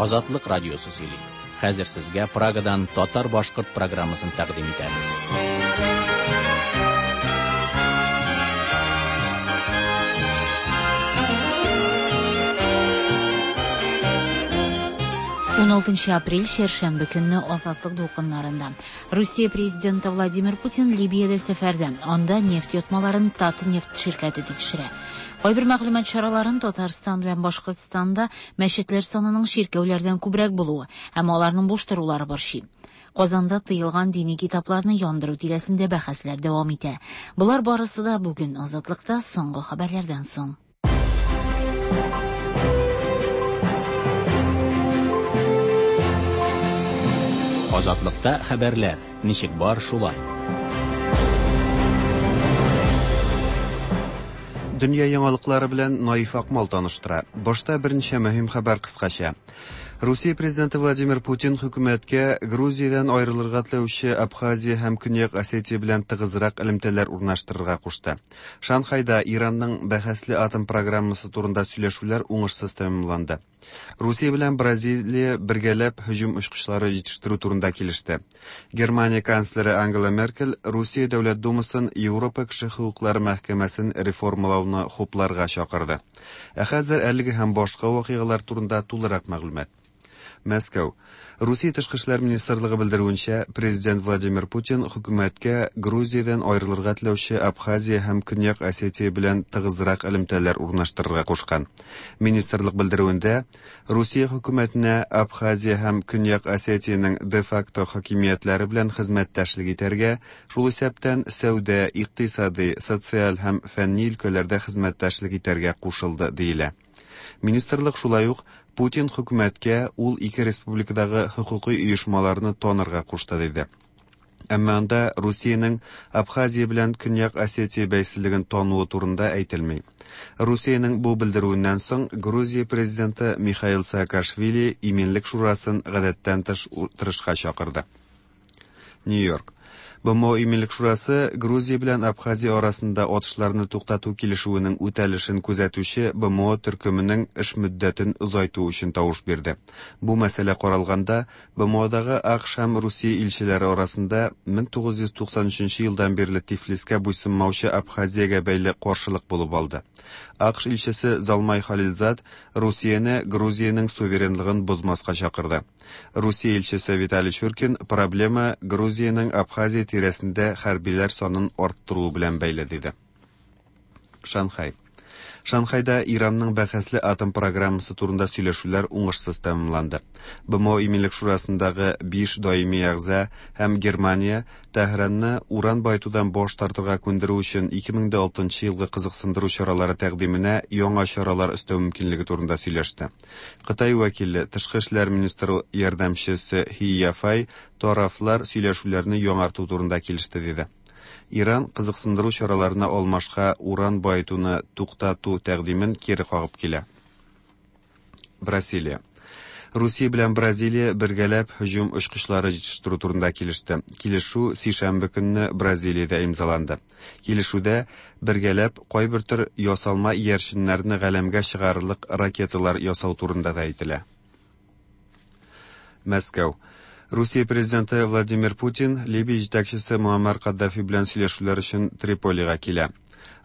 Азатлык радиосы сөйли. Хәзер сезгә Прагадан татар-башкорт программасын тәкъдим итәбез. 16 апрель чәршәмбе көнне Азатлык дулкыннарында. Русия президенты Владимир Путин Либиядә сәфәрдә. Анда нефть йотмаларын Татнефть ширкәте тикшерә. Кайбер мәгълүмат чараларын Татарстан белән Башкортстанда мәчетләр санының чиркәүләрдән күбрәк булуы һәм аларның буш торулары борчый. Казанда тыелган дини китапларны яндыру тирәсендә бәхәсләр дәвам итә. Болар барысы да бүген Азатлыкта соңгы хәбәрләрдән соң. Азатлыкта хәбәрләр ничек бар шулай. Дөнья яңалыклары белән Наиф Акмал таныштыра. Башта берничә мөһим хәбәр кыскача. Русия президенты Владимир Путин хөкүмәткә Грузиядән аерылырга теләүче Абхазия һәм Көньяк Осетия белән тыгызрак элемтәләр урнаштырырга кушты. Шанхайда Иранның бәхәсле атом программасы турында сөйләшүләр уңышсыз тәмамланды. Русия белән Бразилия бергәләп һөҗүм очкычлары җитештерү турында килеште. Германия канцлеры Ангела Меркель Русия Дәүләт Думасын Европа кеше хокуклары мәхкәмәсен реформалауны хупларга чакырды. Ә хәзер әлеге һәм башка вакыйгалар турында тулырак мәгълүмат. Мәскәү. Русия Тышкы эшләр министрлыгы белдерүенчә, президент Владимир Путин хөкүмәткә Грузиядән аерылырга теләүче Абхазия һәм Көньяк Осетия белән тыгызрак элемтәләр урнаштырырга кушкан. Министрлык белдерүендә, Русия хөкүмәтенә Абхазия һәм Көньяк Осетиянең де-факто хакимиятләре белән хезмәттәшлек итәргә, шул исәптән сәүдә, икътисади, социаль һәм фәнни өлкәләрдә хезмәттәшлек итәргә кушылды, диелә. Министрлык шулай ук Путин хөкүмәткә ул ике республикадагы хокукый оешмаларны танырга кушты, диде. Әмма анда Русиянең Абхазия белән Көньяк Осетия бәйсезлеген тануы турында әйтелми. Русиянең бу белдерүеннән соң Грузия президенты Михаил Саакашвили Иминлек шурасын гадәттән тыш утырышка чакырды. Нью-Йорк. БМО Иминлек шурасы Грузия белән Абхазия арасында атышларны туктату килешүенең үтәлешен күзәтүче БМО төркеменең эш мөддәтен озайту өчен тавыш бирде. Бу мәсьәлә каралганда, БМОдагы АКШ һәм Русия илчеләре арасында 1993 елдан бирле Тифлискә буйсынмаучы Абхазиягә бәйле каршылык булып алды. АКШ илчесе Залмай Халилзад Русияне Грузиянең суверенлыгын бозмаска чакырды. Русия илчесе Виталий Чуркин проблема Грузиянең Абхазия тирәсендә хәрбиләр санын арттыруы белән бәйле диде. Шанхай. Шанхайда Иранның бәхәсле атом программасы турында сөйләшүләр уңышсыз тәмамланды. БМО Иминлек шурасындагы 5 даими әгъза һәм Германия Тәһранны уран баетудан баш тартырга күндерү өчен 2006 елгы кызыксындыру чаралары тәкъдименә яңа чаралар өстәү мөмкинлеге турында сөйләште. Кытай вәкиле, тышкы эшләр министры ярдәмчесе Хи Яфай тарафлар сөйләшүләрне яңарту турында килеште диде. Иран кызыксындыру чараларына алмашка уран баетуны туктату тәкъдимен кире кагып килә. Бразилия. Русия белән Бразилия бергәләп һөҗүм очкычлары җитештерү турында килеште. Килешү сишәмбе көнне Бразилиядә имзаланды. Килешүдә бергәләп кайбер төр ясалма иярченнәрне галәмгә чыгарырлык ракеталар ясау турында да әйтелә. Мәскәү. Русия президенты Владимир Путин Либия җитәкчесе Муаммар Каддафи белән сөйләшүләр өчен Триполига килә.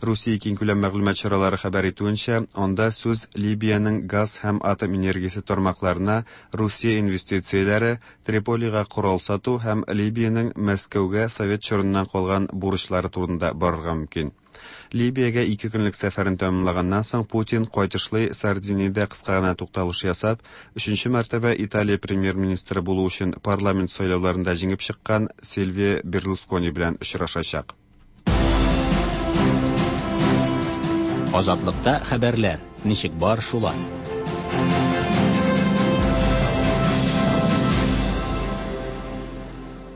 Русия киңкүләм мәгълүмат чаралары хәбәр итүенчә, анда сүз Либиянең газ һәм атом энергиясе тармакларына Русия инвестицияләре, Триполига корал сату һәм Либиянең Мәскәүгә совет чорыннан калган бурычлары турында барырга мөмкин. Либиягә ике көнлек сәфәрен тәмамлаганнан соң Путин кайтышлый Сардиниядә кыска гына тукталыш ясап, өченче мәртәбә Италия премьер-министры булу өчен парламент сайлауларында җиңеп чыккан Сильвио Берлускони белән очрашачак. Азатлыкта хәбәрләр ничек бар шулай.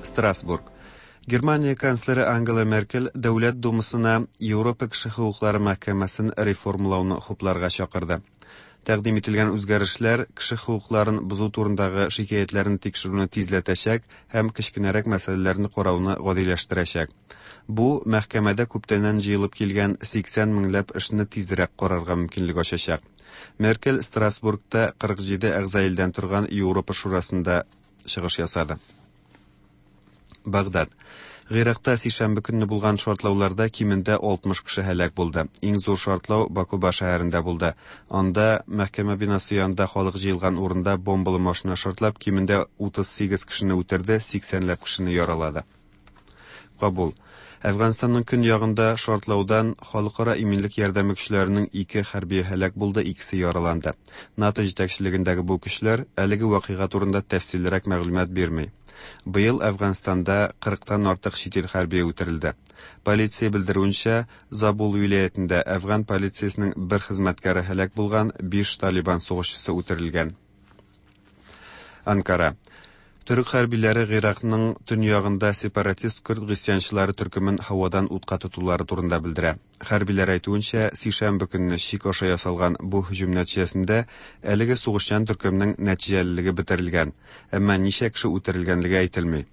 Страсбург. Германия канцлеры Ангела Меркель Дәүләт Думасына Европа кеше хокуклары мәхкәмәсен реформалауны хупларга чакырды. Тәкъдим ителгән үзгәрешләр кеше хокукларын бозу турындагы шикаятьләрне тикшерүне тизләтәчәк һәм кечкенәрәк мәсьәләләрне карауны гадиләштерәчәк. Бу, мәхкәмәдә күптәннән җыелып килгән 80 меңләп эшне тизрәк карарга мөмкинлек ачачак. Меркель Страсбургта 47 әгъза илдән торган Европа Шурасында чыгыш ясады. Багдад. Гыйракта сишәмбе көнне булган шартлауларда кимендә 60 кеше һәлак булды. Иң зур шартлау Бакуба шәһәрендә булды. Анда мәхкәмә бинасы янында халык җыелган урында бомбалы машина шартлап, кимендә 38 кешене үтерде, 80 ләп кешене яралады. Кабул. Әфганстанның көньягында шартлаудан халыкара иминлек ярдәме көчләренең ике хәрбие һәлак булды, икесе яраланды. НАТО җитәкчелегендәге бу көчләр әлеге вакыйга турында тәфсиллерәк мәгълүмат бирми. Быел Әфганстанда 40-тан артык чит ил хәрбие үтерелде. Полиция белдерүенчә, Забул вилаятендә әфган полициясенең бер хезмәткәре һәлак булган, биш Талибан сугышчысы үтерелгән. Анкара. Төрек хәрбиләре Гыйракның төньягында сепаратист көрд гыйсьянчылары төркемен һавадан утка тотулары турында белдерә. Хәрбиләр әйтүенчә, сишәмбе көнне чик аша ясалган бу һөҗүм нәтиҗәсендә әлеге сугышчан төркемнең нәтиҗәлелеге бетерелгән, әмма ничә кеше үтерелгәнлеге әйтелми.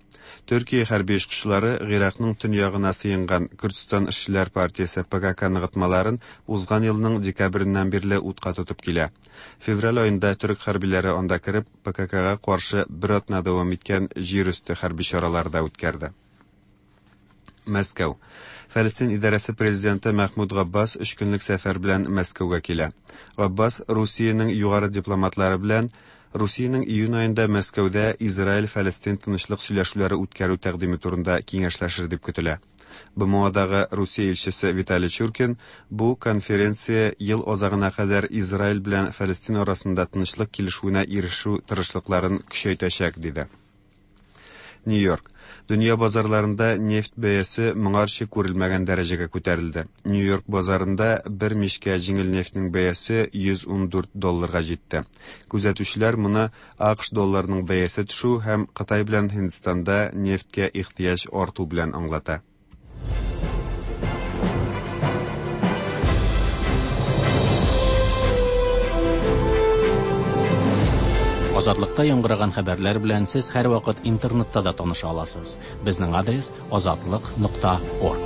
Төркия хәрби очкычлары Гыйракның төньягына сыенган Көрдстан эшчеләр партиясе ПКК ныгытмаларын узган елның декабреннән бирле утка тотып килә. Февраль аенда төрек хәрбиләре анда кереп, ПККга каршы бер атна дәвам иткән җир өсте хәрби чаралар да үткәрде. Мәскәү. Фәлестин идарәсе президенты Мәхмүд Габбас өч көнлек сәфәр белән Мәскәүгә килә. Габбас Русиянең югары дипломатлары белән Русиянең июнь аенда Мәскәүдә Израиль-Фәлестин тынычлык сөйләшүләре үткәрү тәкъдиме турында киңәшләшер дип көтелә. БМОдагы Русия илчесе Виталий Чуркин бу конференция ел азагына кадәр Израиль белән Фәлестин арасында тынычлык килешүенә ирешү тырышлыкларын көчәйтәчәк, диде. Нью-Йорк. Дөнья базарларында нефть бәясе моңарчы күрелмәгән дәрәҗәгә күтәрелде. Нью-Йорк базарында бер мичкә җиңел нефтьнең бәясе 114 долларга җитте. Күзәтүчеләр моны АКШ долларының бәясе төшү һәм Кытай белән Һиндстанда нефтькә ихтыяҗ арту белән аңлата. Азатлыкта яңгыраган хәбәрләр белән сез һәрвакыт интернетта да таныша аласыз. Безнең адрес азатлык.орг.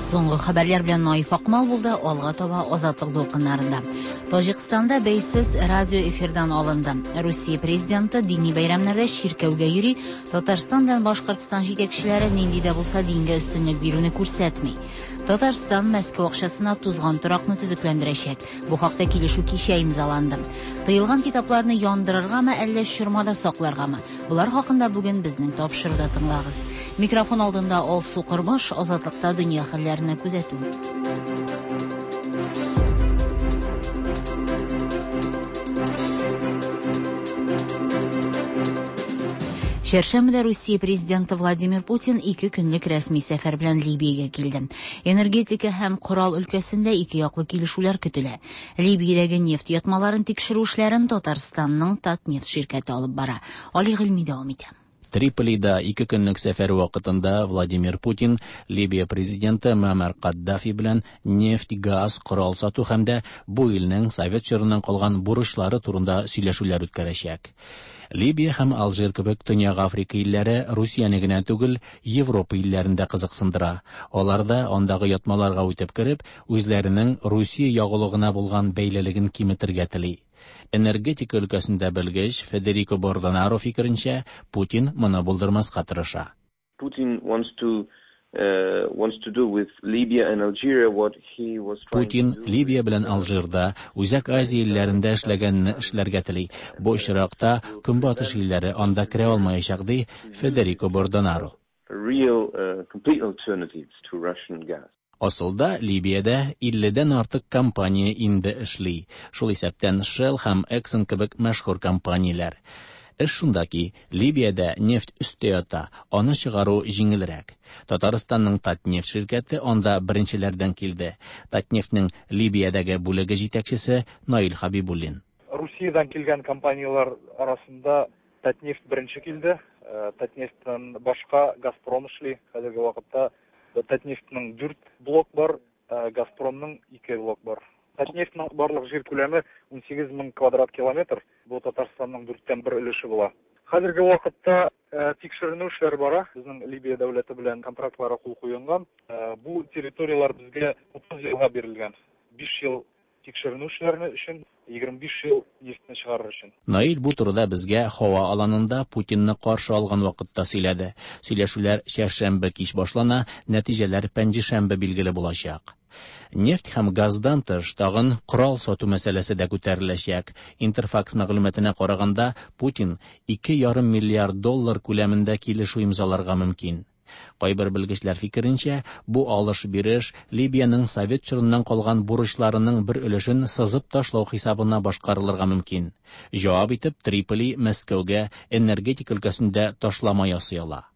Соңгы хәбәрләр белән Наиф Акмал булды, алга таба Азатлык дулкыннарында. Таҗикстанда бәйсез радио эфирдан алынды. Русия президенты дини бәйрәмнәрдә чиркәүгә йөри, Татарстан белән Башкортстан җитәкчеләре нинди дә булса дингә өстенлек бирүне күрсәтми. Татарстан Мәскәү акчасына тузган торакны төзекләндерәчәк. Бу хакта килешү кичә имзаланды. Тыелган китапларны яндырыргамы, әллә чормада сакларгамы? Болар хакында бүген безнең тапшыруда тыңлагыз. Микрофон алдында Алсу Кормаш, Азатлыкта дөнья хәлләренә күзәтү. Чәршәмбедә Русия президенты Владимир Путин ике көнлек рәсми сәфәр белән Либиягә килде. Энергетика һәм корал өлкәсендә ике яклы килешүләр көтелә. Либиядәге нефть ятмаларын тикшерү эшләрен Татарстанның Татнефть ширкәте алып бара. Али Гыйльми дәвам итә. Триполида ике көнлек сәфәр вакытында Владимир Путин Либия президенты Муаммар Каддафи белән нефть, газ, корал сату һәм дә бу илнең совет чорыннан калган бурычлары турында сөйләшүләр үткәрәчәк. Либия һәм Алжир кебек Төньяк Африка илләре Русияне генә түгел, Европа илләрен дә кызыксындыра. Алар да андагы ятмаларга үтеп кереп, үзләренең Русия ягулыгына булган бәйлелеген киметергә тели. Энергетика өлкәсендә белгеч Федерико Бордонаро фикеренчә, Путин моны булдырмаска тырыша. Putin wants to wants to do with Libya and Algeria what he was trying Путин to do Либия белән Алжирда, Үзәк Азия илләрендә эшләгәнне эшләргә тели. Бу очракта Көнбатыш илләре анда керә алмаячак, ди Федерико Бордонаро. real complete alternatives to Russian gas. Асылда Либиядә 50-дән артык компания инде эшли. Шул исәптән Shell һәм Exxon кебек мәшһүр компанияләр. Эш шунда ки, Либиядә нефть өстә ята, аны чыгару җиңелрәк. Татарстанның Татнефть ширкәте анда беренчеләрдән килде. Татнефтьнең Либиядәге бүлеге җитәкчесе Наил Хабибуллин. Русиядән килгән компанияләр арасында Татнефть беренче килде. Татнефтьтән башка Газпром эшли. Хәзерге вакытта Татнефтьнең 4 блок бар. Газпромның ике блок бар. Татнефтьнең барлык җир күләме 18 мең квадрат километр, бу Татарстанның дүрттән бер өлеше була. Хәзерге вакытта тикшеренү эшләре бара. Безнең Либия дәүләте белән контрактларга кул куелган. Бу территорияләр безгә 30 елга бирелгән. 5 ел тикшеренү эшләре өчен, 25 ел нефтьне чыгарыр өчен. Наил бу турыда безгә һава аланында Путинны каршы алган вакытта сөйләде. Сөйләшүләр чәршәмбе кич башлана, нәтиҗәләр пәнҗешәмбе билгеле булачак. Нефть һәм газдан тыш тагын корал сату мәсьәләсе дә күтәреләчәк. Интерфакс мәгълүматына караганда, Путин 2,5 миллиард доллар күләмендә килешү имзаларга мөмкин. Кайбер белгечләр фикеренчә, бу алыш-биреш Либиянең совет чорыннан калган бурычларының бер өлешен сызып ташлау хисабына башкарылырга мөмкин. Җавап итеп Триполи Мәскәүгә энергетика өлкәсендә ташлама ясый ала.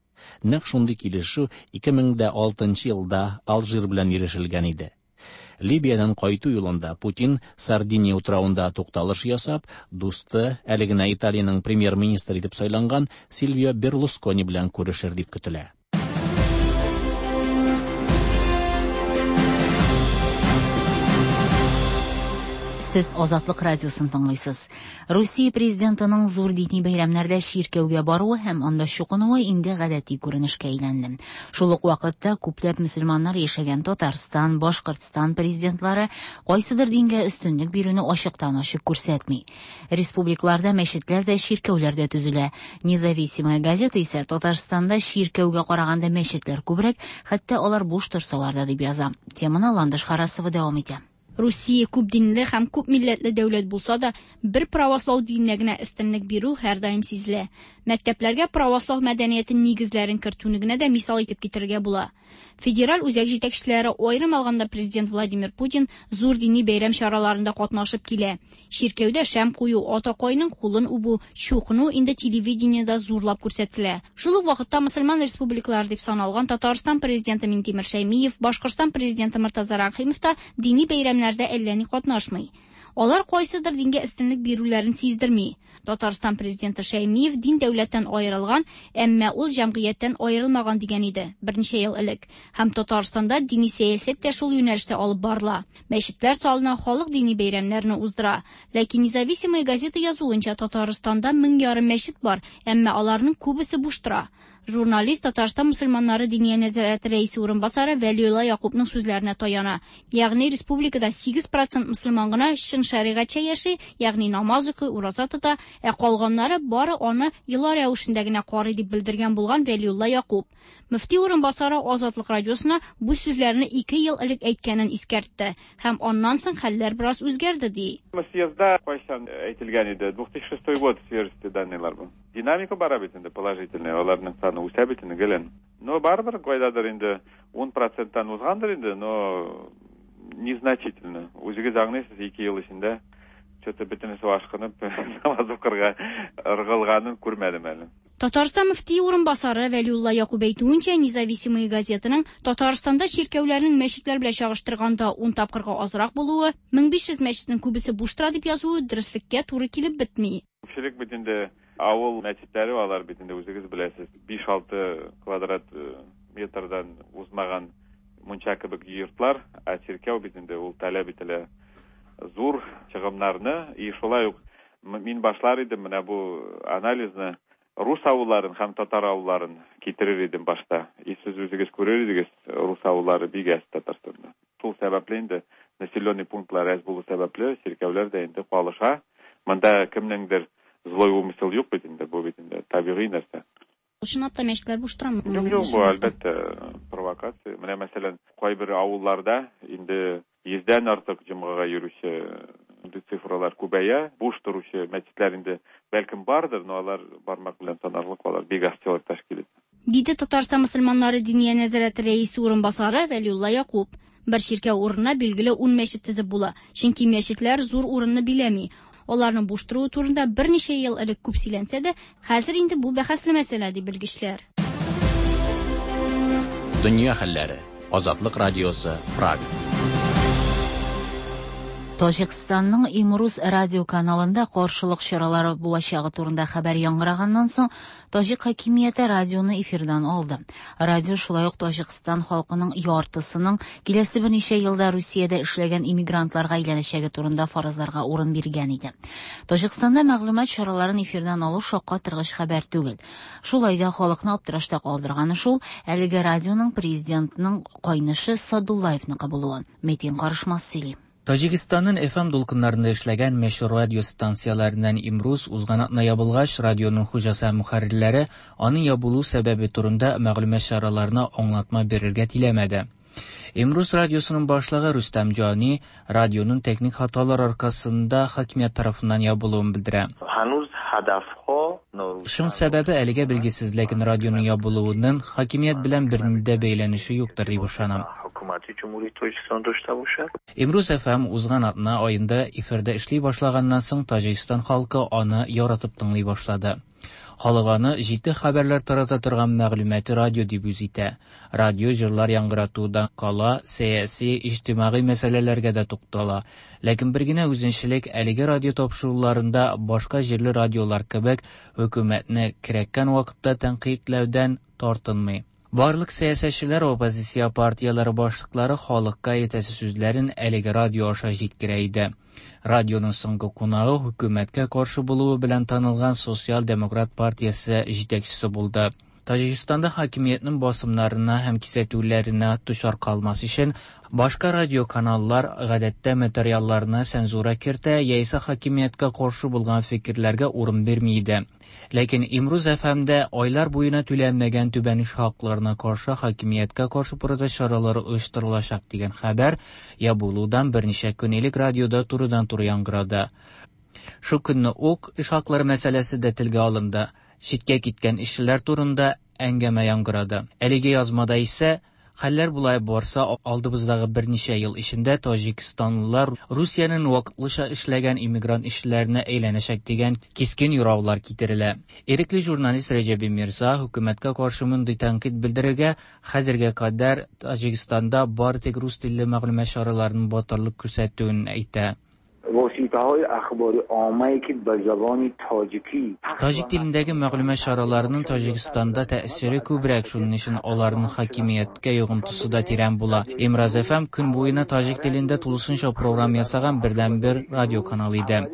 Нәкъ шундый килешү 2006 елда Алжир белән ирешелгән иде. Либиядән кайту юлында Путин Сардиния утравында тукталыш ясап, дусты, әле генә Италиянең премьер-министры итеп сайланган Сильвио Берлускони белән күрешер дип көтелә. Сез Азатлык радиосын тыңлыйсыз. Русия президентының зур дини бәйрәмнәрдә чиркәүгә баруы һәм анда чукынуы инде гадәти күренешкә әйләнде. Шул ук вакытта күпләп мөселманнар яшәгән Татарстан, Башкортстан президентлары кайсыдыр дингә өстенлек бирүне ачыктан-ачык күрсәтми. Республикаларда мәчетләр дә, чиркәүләр дә төзелә. Независимая газета исә Татарстанда чиркәүгә караганда мәчетләр күбрәк, хәтта алар буш торсалар да дип яза. Теманы Ландыш Харасова дәвам итә. Русия күп динле һәм күп милләтле дәүләт булса да, бер правослау диненә генә өстенлек бирү һәрдаим сизелә. Мәктәпләргә правослау мәдәнияте нигезләрен кертүне генә дә мисал итеп китерергә була. Федераль үзәк җитәкчеләре, аерым алганда президент Владимир Путин, зур дини бәйрәм чараларында катнашып килә. Чиркәүдә шәм кую, атакайның кулын үбү, чукыну инде телевидениедә зурлап күрсәтелә. Шул ук вакытта мөселман республикалары дип саналган Татарстан президенты Минтимер Шәймиев, Башкортстан президенты Мортаза Рәхимов та дини бәйрәмнәрдә әллә ни катнашмый. Алар кайсыдыр дингә өстенлек бирүләрен сиздерми. Татарстан президенты Шәймиев дин дәүләттән аерылган, әмма ул җәмгыятьтән аерылмаган дигән иде берничә ел элек. Һәм Татарстанда дини сәясәт тә шул юнәлештә алып барыла. Мәчетләр салына, халык дини бәйрәмнәрне уздыра. Ләкин Независимая газета язуынча Татарстанда 1500 мәчет бар, әмма аларның күбесе буш тора. Журналист Татарстан мөселманнары диния нәзарәте рәисе урынбасары Вәлиулла Якупның сүзләренә таяна. Ягъни республикада 8% мөселман гына чын шәригатьчә яши, ягъни намаз укый, ураза тота, ә калганнары бары аны йола рәвешендә генә карый дип белдергән булган Вәлиулла Якуп. Мөфти урынбасары Азатлык радиосына бу сүзләрне 2 ел элек әйткәнен искәртте һәм аннан соң хәлләр бераз үзгәрде ди. Съездда кайчан әйтелгән иде? 2006 год свежести данныйлар бу. Динамика бара бит инде положительная, аларның саны үсә бит инде гелен. Но барыбер кайдадыр инде 10%-тан узгандыр инде, но незначительно. Үзегез аңлыйсыз, 2 ел эчендә что-то бөтенесе ашкынып намаз укырга ыргылганын күрмәдем әле. Татарстан мөфтие урынбасары Вәлиулла Якуб әйтүенчә, Независимая газетаның Татарстанда чиркәүләрнең мәчетләр белән чагыштырганда 10 тапкырга азрак булуы, 1500 мәчетнең күбесе буш тора дип язуы дөреслеккә туры килеп бетми. Күпчелек бит инде авыл мәчетләре, алар бит инде үзегез беләсез, 5-6 квадрат метрдан узмаган мунча кебек йортлар, ә чиркәү бит инде ул таләп ителә зур чыгымнарны. И шулай ук мин башлар идем менә бу анализны рус авылларын һәм татар авылларын китерер идем башта. И сез үзегез күрер идегез, рус авыллары бик әз Татарстанда. Шул сәбәпле инде населенный пунктлар әз булу сәбәпле чиркәүләр дә инде калыша. Монда кемнеңдер злой умысел юк бит инде, бу бит инде табигый нәрсә. Чынлап та мәчетләр буш торамы? Юк, юк, бу әлбәттә провокация. Менә мәсәлән, кайбер авылларда инде 100-дән артык җомгага йөрүче цифралар күбәя, буш торучы мәчетләр инде бәлкем бардыр, но алар бармак белән санарлык, алар бик аз человек тәшкил итә. Диде Татарстан мөселманнары диния нәзарәте рәисе урынбасары Вәлиулла Якуп. Бер чиркәү урынына билгеле 10 мәчет төзеп була, чөнки мәчетләр зур урынны биләми. Аларның буш торуы турында берничә ел элек күп сөйләнсә дә, хәзер инде бу бәхәсле мәсьәлә, ди белгечләр. Дөнья хәлләре. Азатлык радиосы, Прага. Таҗикстанның Имруз радио каналында каршылык чаралары булачагы турында хәбәр яңгыраганнан соң, таҗик хакимияте радионы эфирдан алды. Радио шулай ук Таҗикстан халкының яртысының киләсе берничә елда Русиядә эшләгән иммигрантларга әйләнәчәге турында фаразларга урын биргән иде. Таҗикстанда мәгълүмат чараларын эфирдан алу шаккатыргыч хәбәр түгел. Шулай да халыкны аптырашта калдырганы шул, әлеге радионың президентның кайнышы Садуллаевныкы булуы. Метин Карышмас сөйли. Таҗикстанның FM дулкыннарында эшләгән мәшһүр радио станцияләреннән Имруз узган атна ябылгач, радионың хуҗасы һәм мөхәррирләре аның ябылу сәбәбе турында мәгълүмат чараларына аңлатма бирергә теләмәде. Имруз радиосының башлыгы Рөстәм Җани радионың техник хаталар аркасында хакимият тарафыннан ябылуын белдерә. Шуның сәбәбе әлегә билгесез, ләкин радионың ябылуының хакимият белән бернинди дә бәйләнеше юктыр дип ышанам. Имруз FM узган атна аенда эфирда эшли башлаганнан соң Таҗикстан халкы аны яратып тыңлый башлады. Халык аны җитди хәбәрләр тарата торган мәгълүмати радио дип үз итә. Радио җырлар яңгыратудан кала, сәяси, иҗтимагый мәсьәләләргә дә туктала. Ләкин бер генә үзенчәлек әлеге радио тапшыруларында башка җирле радиолар кебек хөкүмәтне кирәккән вакытта тәнкыйтьләүдән тартынмый. Барлык сәясәтчеләр, оппозиция партияләре башлыклары халыкка әйтәсе сүзләрен әлеге радио аша җиткерә иде. Радионың соңгы кунагы хөкүмәткә каршы булуы белән танылган Социал-демократ партиясе җитәкчесе булды. Таҗикстанда хакимиятнең басымнарына һәм кисәтүләренә дучар калмас өчен башка радиоканаллар гадәттә материалларына цензура кертә яисә хакимияткә каршы булган фикерләргә урын бирми иде. Ләкин Имруз FM-дә айлар буена түләнмәгән түбән эш хакларына каршы хакимияткә каршы протест чаралары оештырылачак дигән хәбәр ябылудан берничә көн элек радиода турыдан-туры яңгырады. Шул көнне үк эш хаклары мәсьәләсе дә телгә алынды. Читкә киткән эшчеләр турында әңгәмә яңгырады. Әлеге язмада исә хәлләр болай барса, алдыбыздагы берничә ел эчендә таҗикстанлылар Русиянең вакытлыча эшләгән иммигрант эшчеләренә әйләнәчәк дигән кискен юраулар китерелә. Ирекле журналист Рәҗәби Мирза хөкүмәткә каршы мондый тәнкыйть белдерергә хәзергә кадәр Таҗикстанда бары тик рус телле мәгълүмат чараларының батырлык күрсәтүен әйтә. Таҗик телендәге мәгълүмат чараларының Таҗикстанда тәэсире күбрәк, шуның өчен аларның хакимияткә йогынтысы да тирән була. Имраз FM көн буена таҗик телендә тулысынча программа ясаган бердәнбер радио канал иде.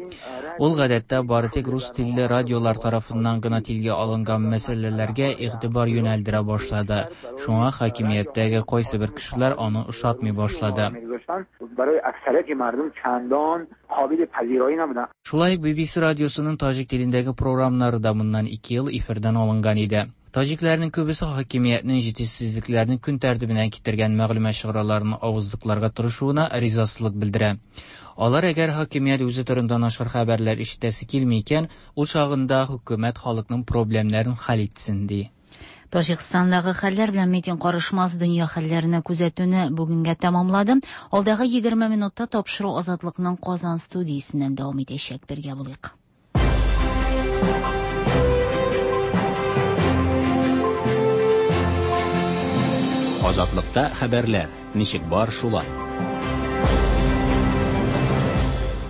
Ул гадәттә бары тик рус телле радиолар тарафыннан гына телгә алынган мәсьәләләргә игътибар юнәлдерә башлады. Шуңа хакимияттәге кайсыбер кешеләр аны ошатмый башлады. Шулай ук BBC радиосының таҗик телендәге програмнары да моннан 2 ел эфирдан алынган иде. Таҗикләрнең күбесе хакимиятнең җитешсезлекләрне көн тәртибенә китергән мәгълүмат чараларын авызлыкларга тырышуына ризасызлык белдерә. Алар әгәр хакимият үзе турында начар хәбәрләр ишетәсе килми икән, ул чагында хөкүмәт халыкның проблемнарын хәл итсен ди. Таҗикстандагы хәлләр белән Метин Карышмас дөнья хәлләренә күзәтүне бүгенгә тәмамлады. Алдагы 20 минутта тапшыру Азатлыкның Казан студиясеннән дәвам итәчәк. Бергә булыйк. Азатлыкта хәбәрләр ничек бар шулай.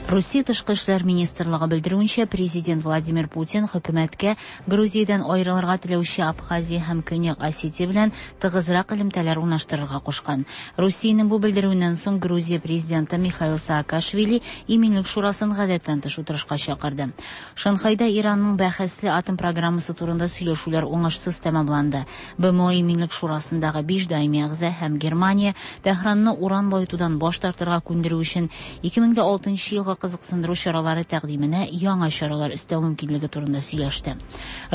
Русия тышкы эшләр министрлыгы белдерүенчә, президент Владимир Путин хөкүмәткә Грузиядән аерылырга теләүче Абхазия һәм Көньяк Осетия белән тыгызрак элемтәләр урнаштырырга кушкан. Русиянең бу белдерүеннән соң Грузия президенты Михаил Саакашвили Иминлек шурасын гадәттән тыш утырышка чакырды. Шанхайда Иранның бәхәсле атом программасы турында сөйләшүләр уңышсыз тәмамланды. БМО Иминлек шурасындагы 5 даими әгъза һәм Германия Тәһранны уран баетудан баш тартырга күндерү өчен 2006 елгы кызыксындыру чаралары тәкъдименә яңа чаралар өстәү мөмкинлеге турында сөйләште.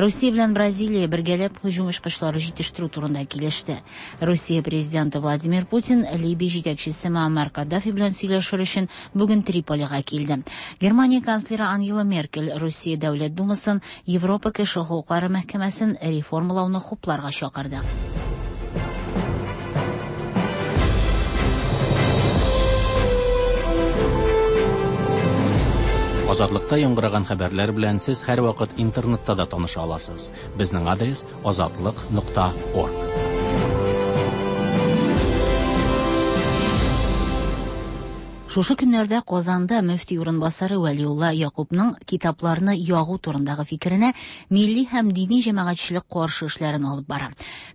Русия белән Бразилия бергәләп һөҗүм очкычлары җитештерү турында килеште. Русия президенты Владимир Путин Либия җитәкчесе Муаммар Каддафи белән сөйләшер өчен бүген Триполига килде. Германия канцлеры Ангела Меркель Русия Дәүләт Думасын Европа кеше хокуклары мәхкәмәсен реформалауны хупларга чакырды. Азатлыкта яңгыраган хәбәрләр белән сез һәрвакыт интернетта да таныша аласыз. Безнең адрес azatliq.org. Шушы көннәрдә Казанда мөфти урынбасары Вәлиулла Якупның китапларны ягу турындагы фикеренә милли һәм дини җәмәгатьчелек каршы эшләрен алып бара.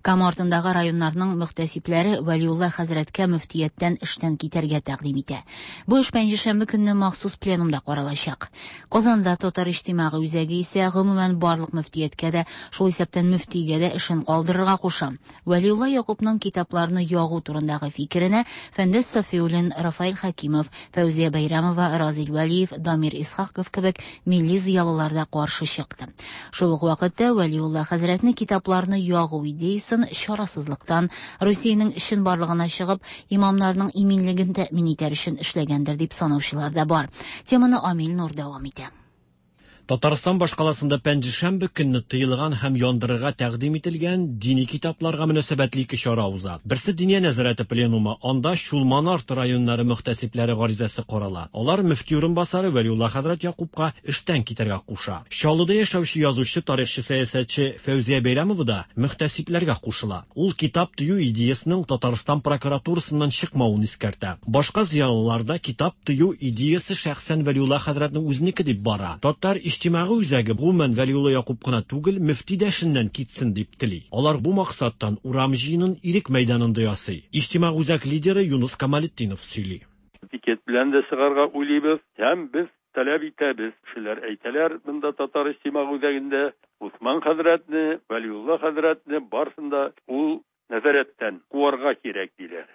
Кама артындагы районнарның мөхтәсибләре Вәлиулла хәзрәткә мөфтияттән эштән китәргә тәкъдим итә. Бу эш пәнҗешәмбе көнне махсус пленумда каралачак. Казанда Татар иҗтимагый үзәге исә гомумән барлык мөфтияткә дә, шул исәптән мөфтигә дә эшен калдырырга куша. Вәлиулла Якупның китапларны ягу турындагы фикеренә Фәндәс Сафиуллин, Рафаэль Хәкимов, Фәүзия Бәйрәмова, Разил Вәлиев, Дамир Исхаков кебек милли зыялылар да каршы чыкты. Шул ук вакытта Вәлиулла хәзрәтне китапларны ягу идеясын чарасызлыктан, Русиянең чынбарлыгына чыгып, имамнарның иминлеген тәэмин итәр өчен эшләгәндер дип санаучылар да бар. Теманы Амил Нур дәвам итә. Татарстан башкаласында пәнҗешәмбе көнне тыелган һәм яндырырга тәкъдим ителгән дини китапларга мөнәсәбәтле ике чара уза. Берсе Диния нәзарәте пленумы, анда Чулман арты районнары мөхтәсибләре гаризасы карала. Алар мөфти урынбасары Вәлиулла хәзрәт Якупка эштән китәргә куша. Чаллыда яшәүче язучы, тарихчы, сәясәтче Фәүзия Бәйрәмова да мөхтәсибләргә кушыла. Ул китап тыю идеясенең Татарстан прокуратурасыннан чыкмавын искәртә. Башка зыялылар да китап тыю идеясе шәхсән Вәлиулла хәзрәтнең үзенеке дип бара. Татар иҗтимагый үзәге гомумән Вәлиулла Якуп кына түгел, мөфти дә эшеннән китсен дип тели. Алар бу максаттан урам җыенын Ирек мәйданында ясый. Иҗтимагый үзәк лидеры Юныс Камалетдинов сөйли. Пикет белән дә чыгарга уйлыйбыз һәм без таләп итәбез. Кешеләр әйтәләр, монда Татар иҗтимагый үзәгендә Усман хәзрәтне, Вәлиулла хәзрәтне барысын да ул нәзарәттән куарга кирәк, диләр.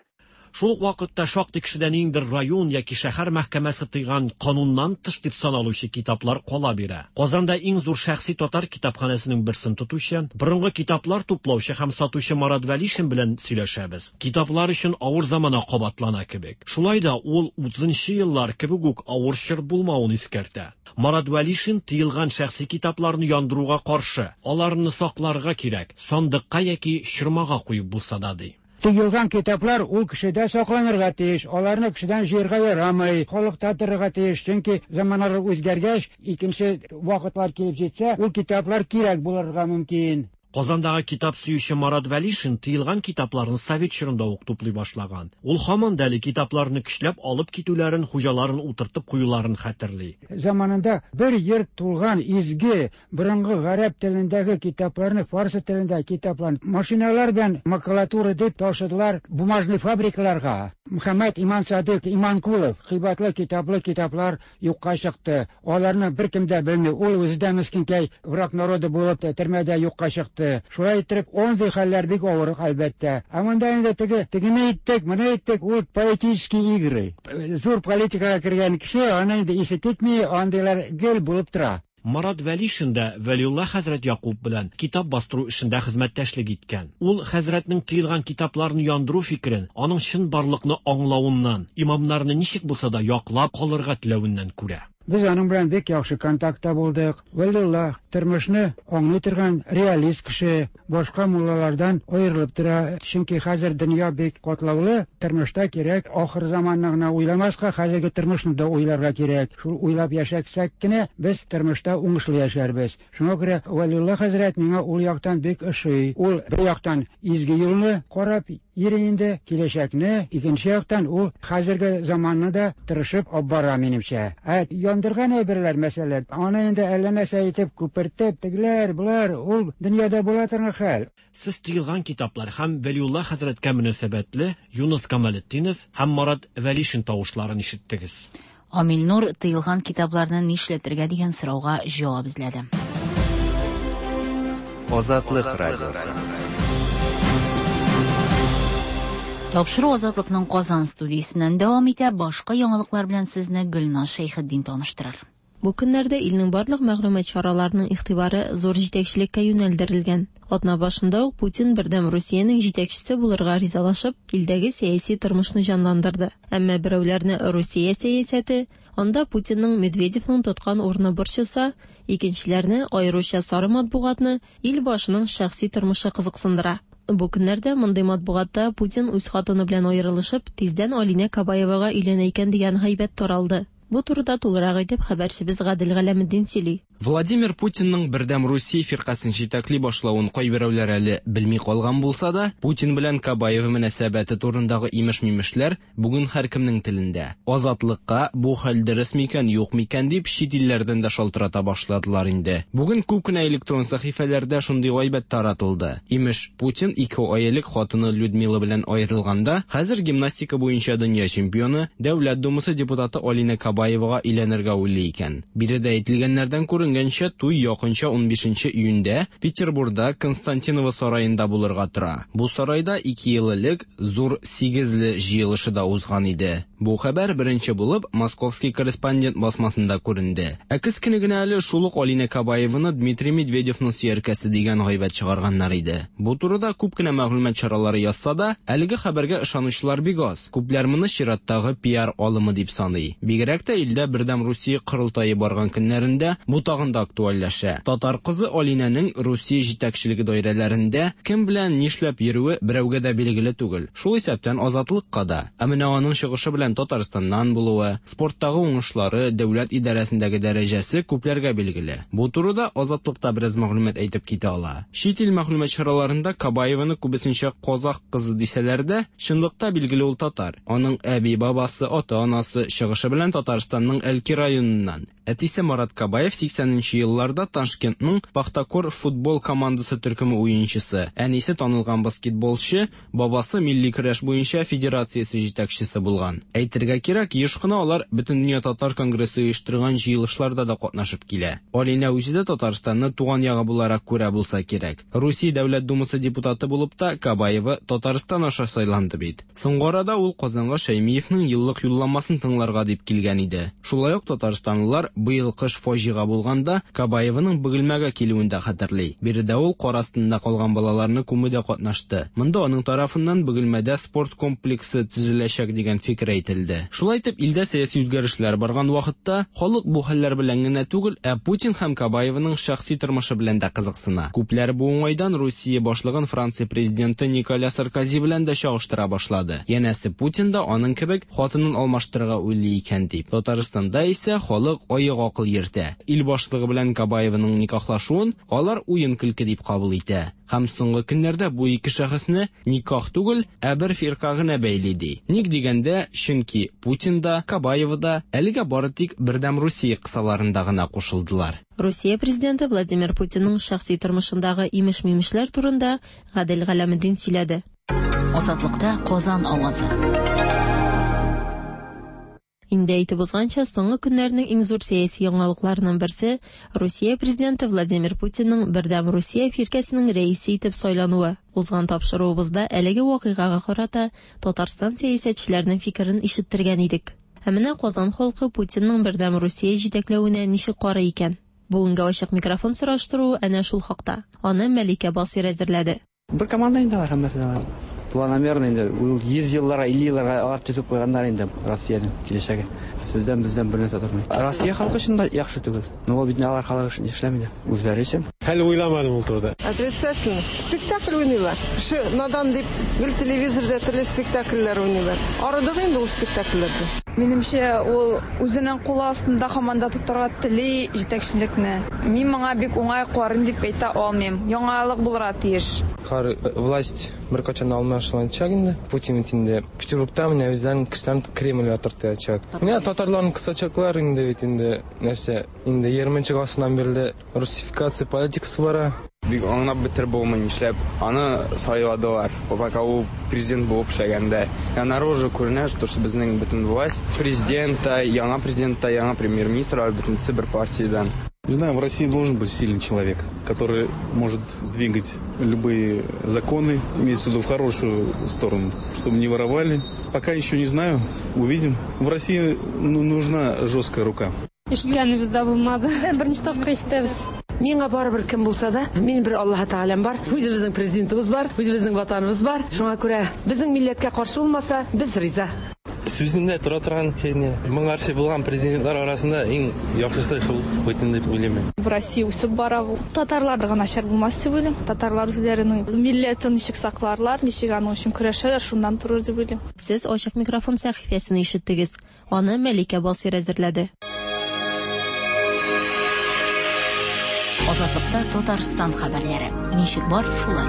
Шул ук вакытта шактый кешедән ниндидер район яки шәһәр мәхкәмәсе тыйган кануннан тыш дип саналучы китаплар кала бирә. Казанда иң зур шәхси татар китапханәсенең берсен тотучы, борынгы китаплар туплаучы һәм сатучы Марат Вәлишин белән сөйләшәбез. Китаплар өчен авыр замана кабатлана кебек. Шулай да ул 30 еллар кебек үк авыр чор булмавын искәртә. Марат Вәлишин тыелган шәхси китапларны яндыруга каршы. Аларны сакларга кирәк, сандыкка яки чормага куеп булса да, ди. Тыелган китаплар ул кешедә сакланырга тиеш, аларны кешедән җыярга ярамый, халыкта торырга тиеш, чөнки заманалар үзгәргәч, икенче вакытлар килеп җитсә, ул китаплар кирәк булырга мөмкин. Казандагы китап сөюче Марат Вәлишин тыелган китапларны совет чорында ук туплый башлаган. Ул һаман да әле китапларны көчләп алып китүләрен, хуҗаларын утыртып куюларын хәтерли. Заманында бер йорт тулган изге борынгы гарәп телендәге китапларны, фарсы телендәге китапларны машиналар белән макулатура дип ташыдылар бумажный фабрикаларга. Мөхәммәд Иман Садык Иманкулов кыйбатлы китаплы китаплар юкка чыкты. Аларны беркем дә белми. Ул үзе дә мескенкәй враг народа булып төрмәдә юкка чыкты. Шулай итеп, андый хәлләр бик авыр, әлбәттә. Ә монда инде теге тегене иттек, моны иттек, ул политические игры. Зур политикага кергән кеше, аны инде исе китми, андыйлар гел булып тора. Марат Вәлишин дә Вәлиулла хәзрәт Якуп белән китап бастыру эшендә хезмәттәшлек иткән. Ул хәзрәтнең тыелган китапларны яндыру фикерен аның чынбарлыкны аңлавыннан, имамнарны ничек булса да яклап калырга теләвеннән күрә. Без аның белән бик яхшы контактта булдык. Вәлиулла тормышны аңлый торган реалист кеше, башка муллалардан аерылып тора. Чөнки хәзер дөнья бик катлаулы, тормышта кирәк ахыр заманны гына уйламаска, хәзерге тормышны да уйларга кирәк. Шул уйлап яшәсәк кенә без тормышта уңышлы яшәрбез. Шуңа күрә Вәлиулла хәзрәт миңа ул яктан бик ошый. Ул бер яктан изге юлны карап йөри инде, киләчәкне, икенче яктан ул хәзерге заманны да тырышып алып бара минемчә. Ә яндырган әйберләр, мәсәлән, аны инде әллә нәрсә итеп күпертеп, тегеләр, болар, ул дөньяда була торган хәл. Сез тыелган китаплар һәм Вәлиулла хәзрәткә мөнәсәбәтле Юныс Камалетдинов һәм Марат Вәлишин тавышларын ишеттегез. Амил Нур тыелган китапларны нишләтергә дигән сорауга җавап эзләде. Азатлык радиосы. Тапшыру Азатлыкның Казан студиясеннән дәвам итә. Башка яңалыклар белән сезне Гөлназ Шәйхетдин таныштырыр. Бу көннәрдә илнең барлык мәгълүмат чараларының игътибары зур җитәкчелеккә юнәлдерелгән. Атна башында ук Путин Бердәм Русиянең җитәкчесе булырга ризалашып, илдәге сәяси тормышны җанландырды. Әмма берәүләрне Русия сәясәте, анда Путинның Медведевның тоткан урыны борчыса, икенчеләрне, аеруча сары матбугатны, ил башының шәхси тормышы кызыксындыра. Бу көннәрдә мондый матбугатта Путин үз хатыны белән аерылышып, тиздән Алинә Кабаевага өйләнә икән дигән гайбәт таралды. Бу турыда тулырак итеп хәбәрчебез Гадел Галәметдин сөйли. Владимир Путинның Бердәм Русия фиркасен җитәкли башлавын кайберәүләр әле белми калган булса да, Путин белән Кабаева мөнәсәбәте турындагы имеш-мимешләр бүген һәркемнең телендә. Азатлыкка бу хәл дөрес микән, юк микән дип чит илләрдән дә шалтырата башладылар инде. Бүген күп кенә электрон сәхифәләрдә шундый гайбәт таратылды. Имеш, Путин 2 ай элек хатыны Людмила белән аерылганда, хәзер гимнастика буенча дөнья чемпионы, Дәүләт Думасы депутаты Алина Кабаевага өйләнергә уйлый икән. Биредә әйтелгәннәрдән күренгәнчә, туй якынча 15 июньдә Петербурда Константиново сараенда булырга тора. Бу сарайда 2 ел элек зур сигезле җыелышы да узган иде. Бу хәбәр беренче булып Московский корреспондент басмасында күренде. Ә көз көне генә әле шул ук Алина Кабаеваны Дмитрий Медведевның сөяркәсе дигән гайбәт чыгарганнар иде. Бу турыда күп кенә мәгълүмат чаралары язса да, әлеге хәбәргә ышанучылар бик аз. Күпләр моны чираттагы пиар алымы дип саный. Бигрәк тә илдә Бердәм Русия корылтае барган көннәрендә бу тагын да актуальләшә. Татар кызы Алинәнең Русия җитәкчелеге даирәләрендә кем белән нишләп йөрүе берәүгә дә билгеле түгел. Шул исәптән Азатлыкка да. Ә менә аның чыгышы белән Татарстаннан булуы, спорттагы уңышлары, дәүләт идарәсендәге дәрәҗәсе күпләргә билгеле. Бу турыда Азатлыкта бераз мәгълүмат әйтеп китә ала. Чит ил мәгълүмат чараларында Кабаеваны күбесенчә казах кызы дисәләр дә, чынлыкта билгеле ул татар. Аның әби-бабасы, ата-анасы чыгышы белән Татарстанның Әлки районыннан. Әтисе Марат Кабаев 80нче елларда Ташкентның Пахтакор футбол командасы төркеме уенчысы, әнисе танылган баскетболчы, бабасы милли көрәш буенча федерациясе җитәкчесе булган. Әйтергә кирәк, еш кына алар Бөтендөнья татар конгрессы оештырган җыелышларда да катнашып килә. Алинә үзе дә Татарстанны туган ягы буларак күрә булса кирәк. Русия Дәүләт Думасы депутаты булып та Кабаева Татарстан аша сайланды бит. Соңгы арада ул Казанга Шәймиевның еллык юлламасын тыңларга дип килгән иде. Шулай ук татарстанлылар быел кыш фаҗига булганда Кабаеваның Бөгелмәгә килүен дә хәтерли. Биредә ул кар астында калган балаларны күмүдә катнашты. Монда аның тарафыннан Бөгелмәдә спорт комплексы төзеләчәк дигән фикер әйтелде. Шулай итеп, илдә сәяси үзгәрешләр барган вакытта халык бу хәлләр белән генә түгел, ә Путин һәм Кабаеваның шәхси тормышы белән дә кызыксына. Күпләр бу уңайдан Русия башлыгын Франция президенты Николя Саркози белән дә чагыштыра башлады. Янәсе Путин да аның кебек хатынын алмаштырырга уйлый икән дип. Татарстанда исә халык аек акыл йөртә. Ил башлыгы белән Кабаеваның никахлашуын алар уен-көлке дип кабул итә. Һәм соңгы көннәрдә бу ике шәхесне никах түгел, ә бер фирка гына бәйли ди. Ник дигәндә, чөнки Путин да, Кабаева да әлегә бары тик Бердәм Русия кысаларында гына кушылдылар. Русия президенты Владимир Путинның шәхси тормышындагы имеш-мимешләр турында Гадел Галәметдин сөйләде. Азатлыкта Казан авазы. Инде әйтеп узганча, соңгы көннәрнең иң зур сәяси яңалыкларының берсе Русия президенты Владимир Путинның Бердәм Русия фиркәсенең рәисе итеп сайлануы. Узган тапшыруыбызда әлеге вакыйгага карата Татарстан сәясәтчеләренең фикерен ишеттергән идек. Ә менә Казан халкы Путинның Бердәм Русия җитәкләвенә ничек карый икән? Бүгенге ачык микрофон сораштыруы әнә шул хакта. Аны Мәликә Басыйр әзерләде. Бер команда инде алар һәммәсе дә алар. Планомерно инде ул 100 елларга, 50 елларга алар төзеп куйганнар инде Россиянең киләчәге. Сездән бездән бер нәрсә тормый. Россия халкы өчен дә яхшы түгел. Но ул бит алар халык өчен эшләми дә. Үзләре өчен. Әле уйламадым ул турыда. Отрицательно. Спектакль уйныйлар. Кеше надан дип гел телевизорда төрле спектакльләр уйныйлар. Арыдык инде ул спектакльләрдән. Минемчә, ул үзенең кулы астында һаман да тотарга тели җитәкчелекне. Мин моңа бик уңай карыйм дип әйтә алмыйм. Яңалык булырга тиеш. Һәр власть беркайчан алмашылачак инде. Путин бит инде Петербургта менә үзләренең кешеләрен Кремльгә тартачак. Менә татарларны кысачаклар инде бит инде нәрсә, инде 20 гасырдан бирле русификация политикасы бара. Бик аңлап бетереп булмый, нишләп аны сайладылар. Пока ул президент булып эшләгәндә. Я наружу күренә, что безнең бөтен власть президент та, яңа президент та, яңа премьер-министр, алар бөтенесе бер партиядән. Не знаю, в России должен быть сильный человек, который может двигать любые законы, имеется в виду в хорошую сторону, чтобы не воровали. Пока еще не знаю, увидим. В России нужна жесткая рука. Ишеткәнебез дә булмады. Беренче тапкыр ишетәбез. Миңа барыбер кем булса да, мин бер Аллаһ Тәгаләм бар, үзебезнең президентыбыз бар, үзебезнең ватаныбыз бар. Шуңа күрә безнең милләткә каршы булмаса, без риза. Сүзендә тора торган кеше. Моңарчы булган президентлар арасында иң яхшысы шул Путин дип уйлыйм мин. В России үсеп бара бу. Татарларга начар булмас дип уйлыйм. Татарлар үзләренең милләтен ничек сакларлар, ничек аның өчен көрәшәләр, шуннан торыр дип уйлыйм. Сез ачык микрофон сәхифәсен ишеттегез. Аны Мәликә Басыйр әзерләде. Азатлыкта Татарстан хәбәрләре. Ничек бар, шулай.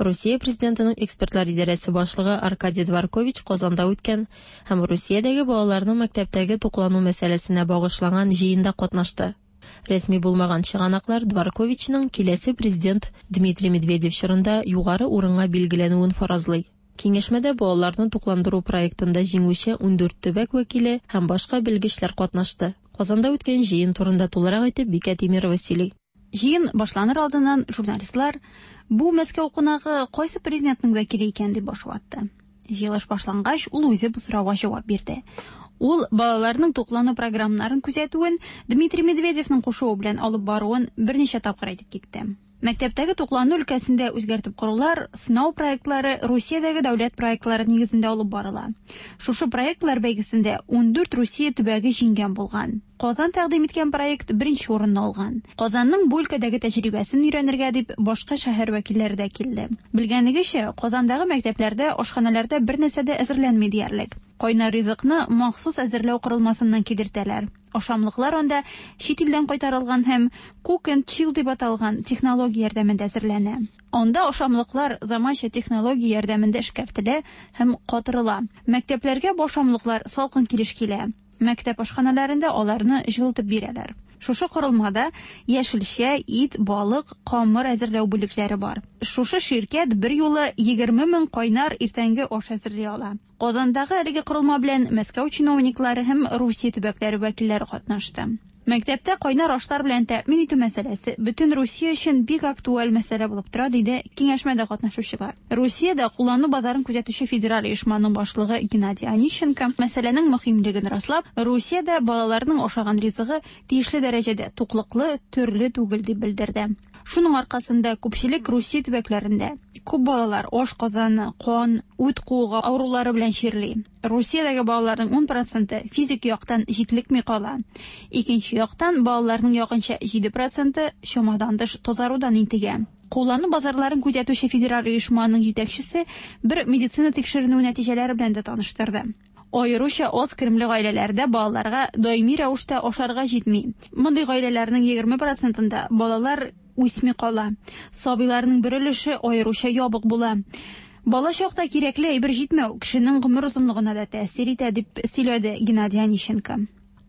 Русия президентының экспертлар идарәсе башлыгы Аркадий Дворкович Казанда үткән һәм Русиядәге балаларның мәктәптәге туклану мәсьәләсенә багышланган җыенда катнашты. Рәсми булмаган чыганаклар Дворковичның киләсе президент Дмитрий Медведев чорында югары урынга билгеләнүен фаразлый. Киңәшмәдә балаларны тукландыру проектында җиңүче 14 төбәк вәкиле һәм башка белгечләр катнашты. Казанда үткән җыен турында тулырак итеп Бикә Тимирова сөйли. Җыен башланыр алдыннан журналистлар бу Мәскәү кунагы кайсы президентның вәкиле икән дип баш ватты. Җыелыш башлангач, ул үзе бу сорауга җавап бирде. Ул балаларның туклану программаларын күзәтүен Дмитрий Медведевның кушуы белән алып баруын берничә тапкыр әйтеп китте. Мәктәптәге туклану өлкәсендә үзгәртеп корулар, сынау проектлары Русиядәге дәүләт проектлары нигезендә алып барыла. Шушы проектлар бәйгесендә 14 Русия төбәге җиңгән булган. Казан тәкъдим иткән проект беренче урынны алган. Казанның бу өлкәдәге тәҗрибәсен өйрәнергә дип башка шәһәр вәкилләре дә килде. Белгәнегезчә, Казандагы мәктәпләрдә ашханәләрдә бер нәрсә дә әзерләнми диярлек. Кайнар ризыкны махсус әзерләү корылмасыннан кидертәләр. Ашамлыклар анда чит илдән кайтарылган һәм cook and chill дип аталган технология ярдәмендә әзерләнә. Анда ашамлыклар заманча технология ярдәмендә эшкәртелә һәм катырыла. Мәктәпләргә бу ашамлыклар салкын килеш килә. Мәктәп ашханәләрендә аларны җылытып бирәләр. Шушы корылмада яшелчә, ит, балык, камыр әзерләү бүлекләре бар. Шушы ширкәт берьюлы 20 мең кайнар иртәнге аш әзерли ала. Казандагы әлеге корылма белән Мәскәү чиновниклары һәм Русия төбәкләре вәкилләре катнашты. Мәктәптә кайнар ашлар белән тәэмин итү мәсьәләсе бөтен Русия өчен бик актуаль мәсьәлә булып тора, диде киңәшмәдә катнашучылар. Русиядә куллану базарын күзәтүче федераль оешманың башлыгы Геннадий Онищенко мәсьәләнең мөһимлеген раслап, Русиядә балаларның ашаган ризыгы тиешле дәрәҗәдә туклыклы, төрле түгел дип белдерде. Шуның аркасында күпчелек Русия төбәкләрендә күп балалар ашказаны, кан, үт куыгы авырулары белән чирли. Русиядәге балаларның 10 проценты физик яктан җитлекми кала. Икенче яктан, балаларның якынча 7 проценты чамадан тыш тазарудан интегә. Куллану базарларын күзәтүче федераль оешманың җитәкчесе бер медицина тикшеренүе нәтиҗәләре белән дә таныштырды. Аеруча аз керемле гаиләләрдә балаларга даими рәвештә ашарга җитми. Мондый гаиләләрнең 20 процентында балалар үсми кала. Сабыйларның бер өлеше аеруча ябык була. Бала чакта кирәкле әйбер җитмәү кешенең гомер озынлыгына да тәэсир итә, дип сөйләде Геннадий Онищенко.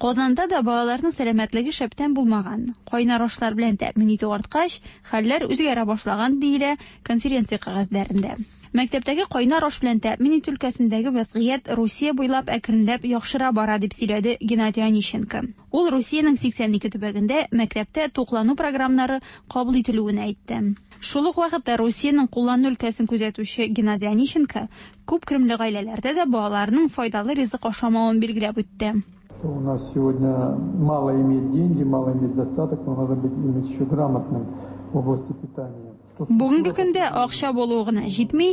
Казанда да балаларның сәламәтлеге шәптән булмаган. Кайнар ашлар белән тәэмин итү арткач, хәлләр үзгәрә башлаган, диелә конференция кәгазьләрендә. Мәктәптәге кайнар аш белән тәэмин итү өлкәсендәге вәзгыять Русия буйлап әкренләп яхшыра бара, дип сөйләде Геннадий Онищенко. Ул Русиянең 82 төбәгендә мәктәптә туклану програмнары кабул ителүен әйтте. Шул ук вакытта Русиянең куллану өлкәсен күзәтүче Геннадий Онищенко күп керемле гаиләләрдә дә балаларның файдалы ризык ашамавын билгеләп үтте. У нас сегодня мало иметь деньги, мало иметь достаток, но надо быть иметь еще грамотным в области питания. Бүгенге көндә акча булу гына җитми,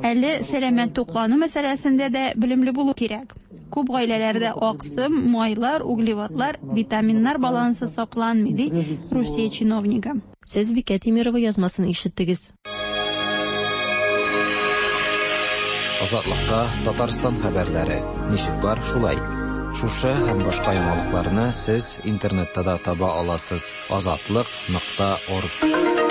әле сәламәт туклану мәсьәләсендә дә белемле булу кирәк. Күп гаиләләрдә аксым, майлар, углеводлар, витаминнар балансы сакланмый, ди Русия чиновнигы. Сез Бикә Тимирова язмасын ишеттегез. Азатлыкта Татарстан хәбәрләре. Ничек бар, шулай. Шушы һәм башка яңалыкларны сез интернетта да таба аласыз. Азатлык.орг.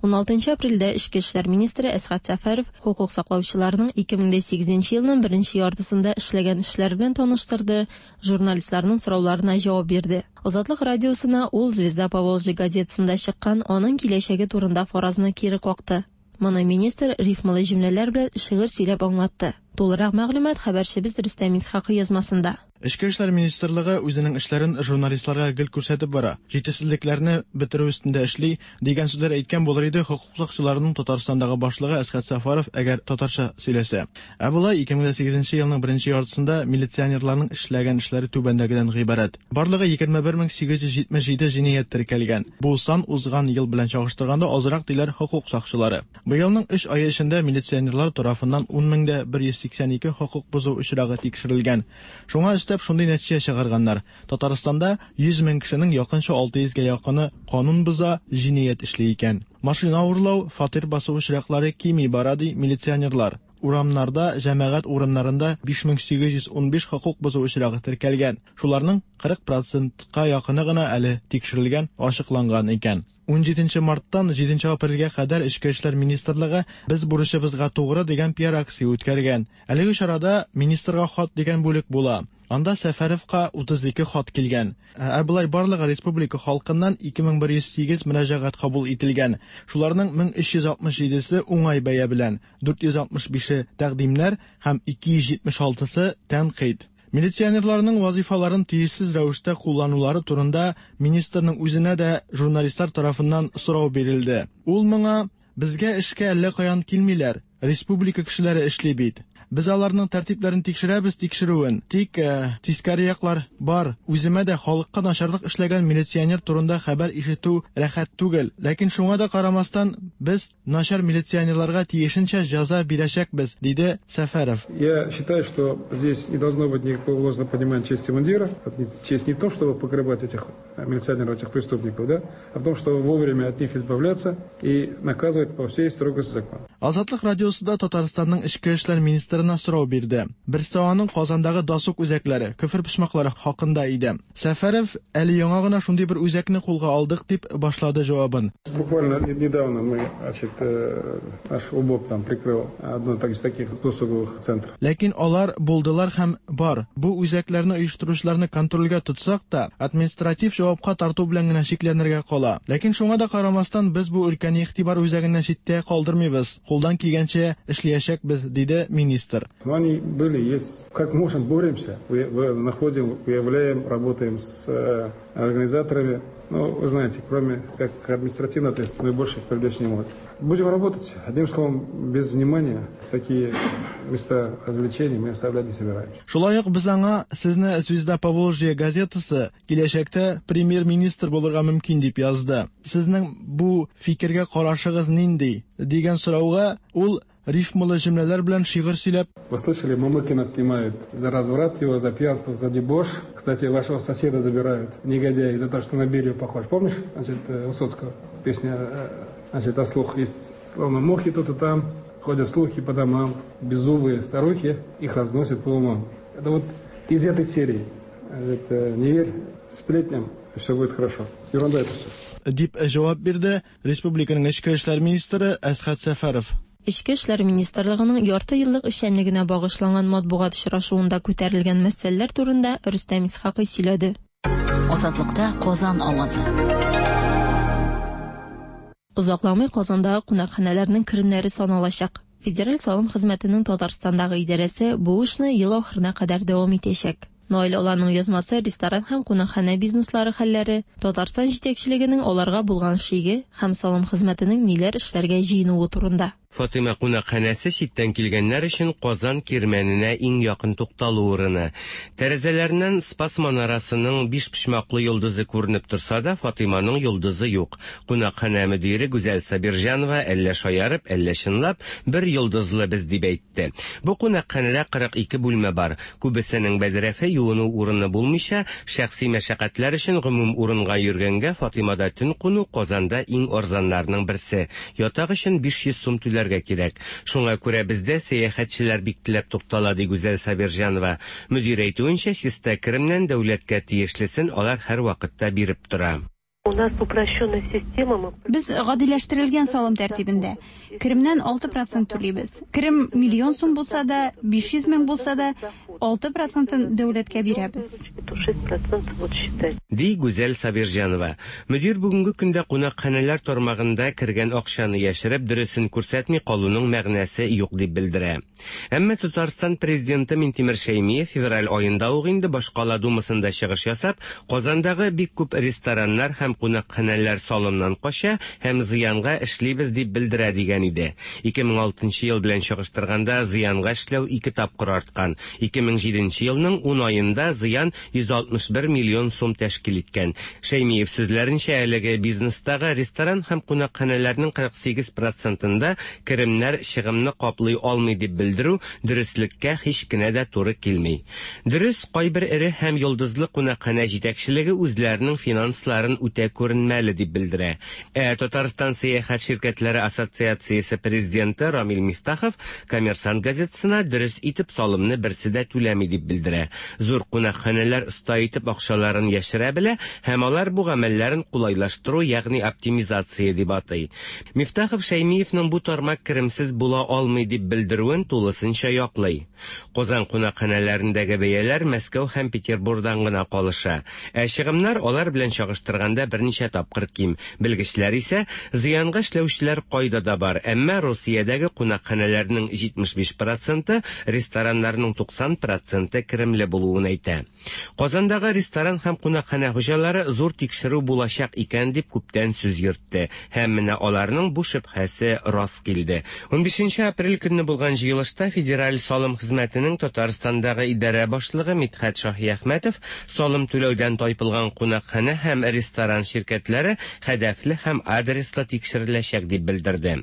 16 апрельдә Эчке эшләр министры Әсгать Сәфәров хокук саклаучыларның 2008 елның беренче яртысында эшләгән эшләре белән таныштырды, журналистларның сорауларына җавап бирде. Азатлык радиосына ул Звезда Поволжья газетасында чыккан аның киләчәге турында фаразны кире какты. Моны министр рифмалы җөмләләр белән шигырь сөйләп аңлатты. Тулырак мәгълүмат хәбәрчебез Рөстәм Исхакый язмасында. Эчке эшләр министрлыгы үзенең эшләрен журналистларга гел күрсәтеп бара, җитешсезлекләрне бетерү өстендә эшли, дигән сүзләр әйткән булыр иде хокук сакчыларының Татарстандагы башлыгы Әсгать Сәфәров, әгәр татарча сөйләсә. Ә болай 2008 елның беренче яртысында милиционерларның эшләгән эшләре түбәндәгедән гыйбарәт. Барлыгы 21877 җинаять теркәлгән. Бу сан узган ел белән чагыштырганда азрак, диләр хокук сакчылары. Быелның өч ае эчендә милиционерлар тарафыннан 10182 хокук бозу очрагы тикшерелгән. Шуңа өстәп шундый нәтиҗә чыгарганнар. Татарстанда 100 мең кешенең якынча 600 гә якыны канун боза, җинаять эшли икән. Машина урлау, фатир басу очраклары кими бара, ди милиционерлар. Урамнарда, җәмәгать урыннарында 5815 хокук бозу очрагы теркәлгән. Шуларның 40 процентка якыны гына әле тикшерелгән, ачыкланган икән. 17 марттан 7 апрельгә кадәр Эчке эшләр министрлыгы Без бурычыбызга тугры дигән пиар-акция үткәргән. Әлеге чарада Министрга хат дигән бүлек була. Анда Сәфәровка 32 хат килгән. Ә болай барлыгы республика халкыннан 2108 мөрәҗәгать кабул ителгән. Шуларның 1367-се уңай бәя белән, 465-е тәкъдимнәр һәм 276-сы тәнкыйть. Милиционерларның вазыйфаларын тиешсез рәвештә кулланулары турында министрның үзенә дә журналистлар тарафыннан сорау бирелде. Ул моңа Безгә эшкә әллә каян килмиләр, республика кешеләре эшли бит. Без аларның тәртипләрен тикшерәбез тикшерүен, тик тискәре яклар бар. Үземә дә халыкка начарлык эшләгән милиционер турында хәбәр ишетү рәхәт түгел. Ләкин шуңа да карамастан, без начар милиционерларга тиешенчә җәза бирәчәкбез, диде Сәфәров. Я считаю, что здесь не должно быть никакого ложного понимания чести мундира. Честь не в том, чтобы покрывать этих милиционеров, этих преступников, да, а в том, чтобы вовремя от них избавляться и наказывать по всей строгости закона. Азатлык радиосы да Татарстанның эчке эшләр министрына сорау бирде. Берсе аның Казандагы досуг үзәкләре, көфер почмаклары хакында иде. Сәфәров, әле яңа гына шундый бер үзәкне кулга алдык, дип башлады җавабын. Буквально недавно мы, значит, наш УБОП там прикрыл одно из таких досуговых центров. Ләкин алар булдылар һәм бар. Бу үзәкләрне оештыручыларны контрольгә тотсак та, административ җавапка тарту белән генә чикләнергә кала. Ләкин шуңа да карамастан, без бу өлкәне игътибар үзәгеннән читтә калдырмыйбыз, кулдан килгәнчә эшлиячәкбез, диде министр. Но они были, есть. Как можем, боремся, находим, выявляем, работаем с э, организаторами. Ну, вы знаете, кроме как административной ответственности, мы больше их привлечь не можем. Будем работать. Одним словом, без внимания такие места развлечений мы оставлять не собираемся. Шулай ук без аңа сезне Звезда Поволжья газетасы киләчәктә премьер-министр булырга мөмкин дип язды. Сезнең бу фикергә карашыгыз нинди? дигән сорауга ул рифмалы җөмләләр белән шигырь сөйләп. Вы слышали, Мамыкина снимают за разврат его, за пьянство, за дебош. Кстати, вашего соседа забирают, негодяи, за то, что на Берию похож. Помнишь, значит, Высоцкого песня, значит, о слух есть. Словно мухи тут и там, ходят слухи по домам, беззубые старухи их разносят по умам. Это вот из этой серии. Это не верь сплетням, все будет хорошо. Ерунда это все. Дип җавап бирде республиканың эчке эшләр министры Әсхәт Сәфәров. Эчке эшләр министрлыгының ярты еллык эшчәнлегенә багышланган матбугат очрашуында күтәрелгән мәсьәләләр турында Рөстәм Исхакый сөйләде. Азатлыкта Казан авазы. Озакламый Казандагы кунакханәләрнең керемнәре саналачак. Федераль салым хезмәтенең Татарстандагы идарәсе бу эшне ел ахырына кадәр дәвам итәчәк. Наил Аланның язмасы ресторан һәм кунакханә бизнеслары хәлләре, Татарстан җитәкчелегенең аларга булган шиге һәм салым хезмәтенең ниләр эшләргә җыенуы турында. Фатыйма кунакханәсе читтән килгәннәр өчен Казан Кирмәненә иң якын тукталу урыны. Тәрәзәләреннән Спас манарасының бишпочмаклы йолдызы күренеп торса да, Фатыйманың йолдызы юк. Кунакханә мөдире Гүзәл Сабирҗанова әллә шаярып, әллә чынлап, бер йолдызлы без дип әйтте. Бу кунакханәдә 42 бүлмә бар. Күбесенең бәдрәфе, юыну урыны булмыйча, шәхси мәшәкатьләр өчен гомум урынга йөргәнгә, Фатыймада төн куну Казанда иң арзаннарның берсе. Ятак өчен 500 сум түләргә кирәк. Шуңа күрә бездә сәяхәтчеләр бик теләп туктала, ди Гүзәл Сабирҗанова. Мөдир әйтүенчә, чиста керемнән дәүләткә тиешлесен алар һәрвакытта биреп тора. У нас упрощенная система, мы. Без гадиләштерелгән салым тәртибендә. Керемнән 6 процент түлибез. Керем миллион сум булса да, 500 мең булса да, 6 процентын дәүләткә бирәбез. Ди Гүзәл Сабирҗанова. Мөдир бүгенге көндә кунакханәләр тармагында кергән акчаны яшереп, дөресен күрсәтми калуның мәгънәсе юк дип белдерә. Әмма Татарстан Президенты Минтимер Шәймиев февраль аенда ук инде башкала Думасында чыгыш ясап, Казандагы бик күп рестораннар һәм кунакханәләр салымнан кача һәм зыянга эшлибез дип белдерә дигән иде. 2006 нчы ел белән чагыштырганда зыянга эшләү ике тапкыр арткан. 2007 нче елның ун аенда зыян 161 миллион сум тәшкил иткән. Шәймиев сүзләренчә, әлеге бизнестагы ресторан һәм кунакханәләрнең 48 процентында керемнәр чыгымны каплый алмый дип белдерү дөреслеккә һич кенә дә туры килми. Дөрес, кайбер эре һәм йолдызлы кунакханә җитәкчелеге үзләренең финансларын үтә күренмәле дип белдерә. Ә Татарстан сәяхәт ширкәтләре ассоциациясе президенты Рамил Мифтахов Коммерсант газетасына дөрес итеп салымны берсе дә түләми дип белдерә. Зур кунакханәләр оста итеп акчаларын яшерә белә һәм алар бу гамәлләрен кулайлаштыру, ягъни оптимизация дип атый. Мифтахов Шәймиевның бу тармак керемсез була алмый дип белдерүен тулысынча яклый. Казан кунакханәләрендәге бәяләр Мәскәү һәм Петербурдан гына калыша. Ә чыгымнар алар белән чагыштырганда берничә тапкыр ким. Белгечләр исә, зыянга эшләүчеләр кайда да бар, әмма Русиядәге кунакханәләрнең 75 проценты, рестораннарның 90 проценты керемле булуын әйтә. Казандагы ресторан һәм кунакханә хуҗалары зур тикшерү булачак икән дип күптән сүз йөртте. Һәм менә аларның бу шөбһәсе рас килде. 15 апрель көнне булган җыелышта Федераль салым хезмәтенең Татарстандагы идарә башлыгы Мидхәт Шаһиәхмәтов салым түләүдән тайпылган кунакханә һәм ресторан ширкәтләре һәдәфле һәм адреслы тикшереләчәк дип белдерде.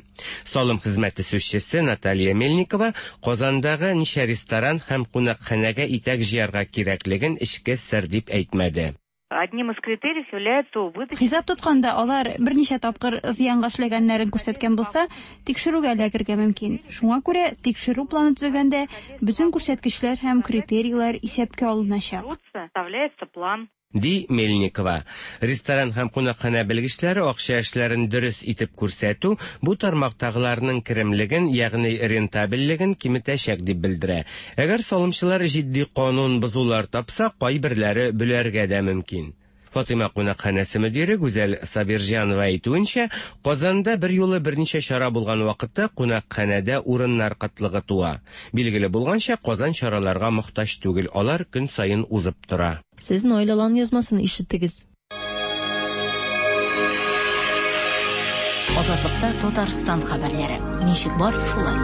Салым хезмәте сүзчесе Наталья Мельникова Казандагы ничә ресторан һәм кунакханәгә итәк җыярга кирәклеген эчке сер дип әйтмәде. Одним из критериев является убыточность. Хисап тотканда, алар берничә тапкыр зыянга эшләгәннәрен күрсәткән булса, тикшерүгә эләгергә мөмкин. Шуңа күрә тикшерү планы төзегәндә бөтен күрсәткечләр һәм критерийлар исәпкә алыначак. Составляется план. Ди Мельникова. Ресторан һәм кунакханә белгечләре акча эшләрен дөрес итеп күрсәтү бу тармактагыларның керемлеген, ягъни рентабельлеген киметәчәк дип белдерә. Әгәр салымчылар җитди канун бозулар тапса, кайберләре бөләргә дә мөмкин. Фатыйма кунакханәсе мөдире Гүзәл Сабирҗанова әйтүенчә, Казанда берьюлы берничә чара булган вакытта кунакханәдә урыннар кытлыгы туа. Билгеле булганча, Казан чараларга мохтаҗ түгел, алар көн саен узып тора. Сез Наил Алан язмасын ишеттегез. Азатлыкта Татарстан хәбәрләре. Ничек бар, шулай.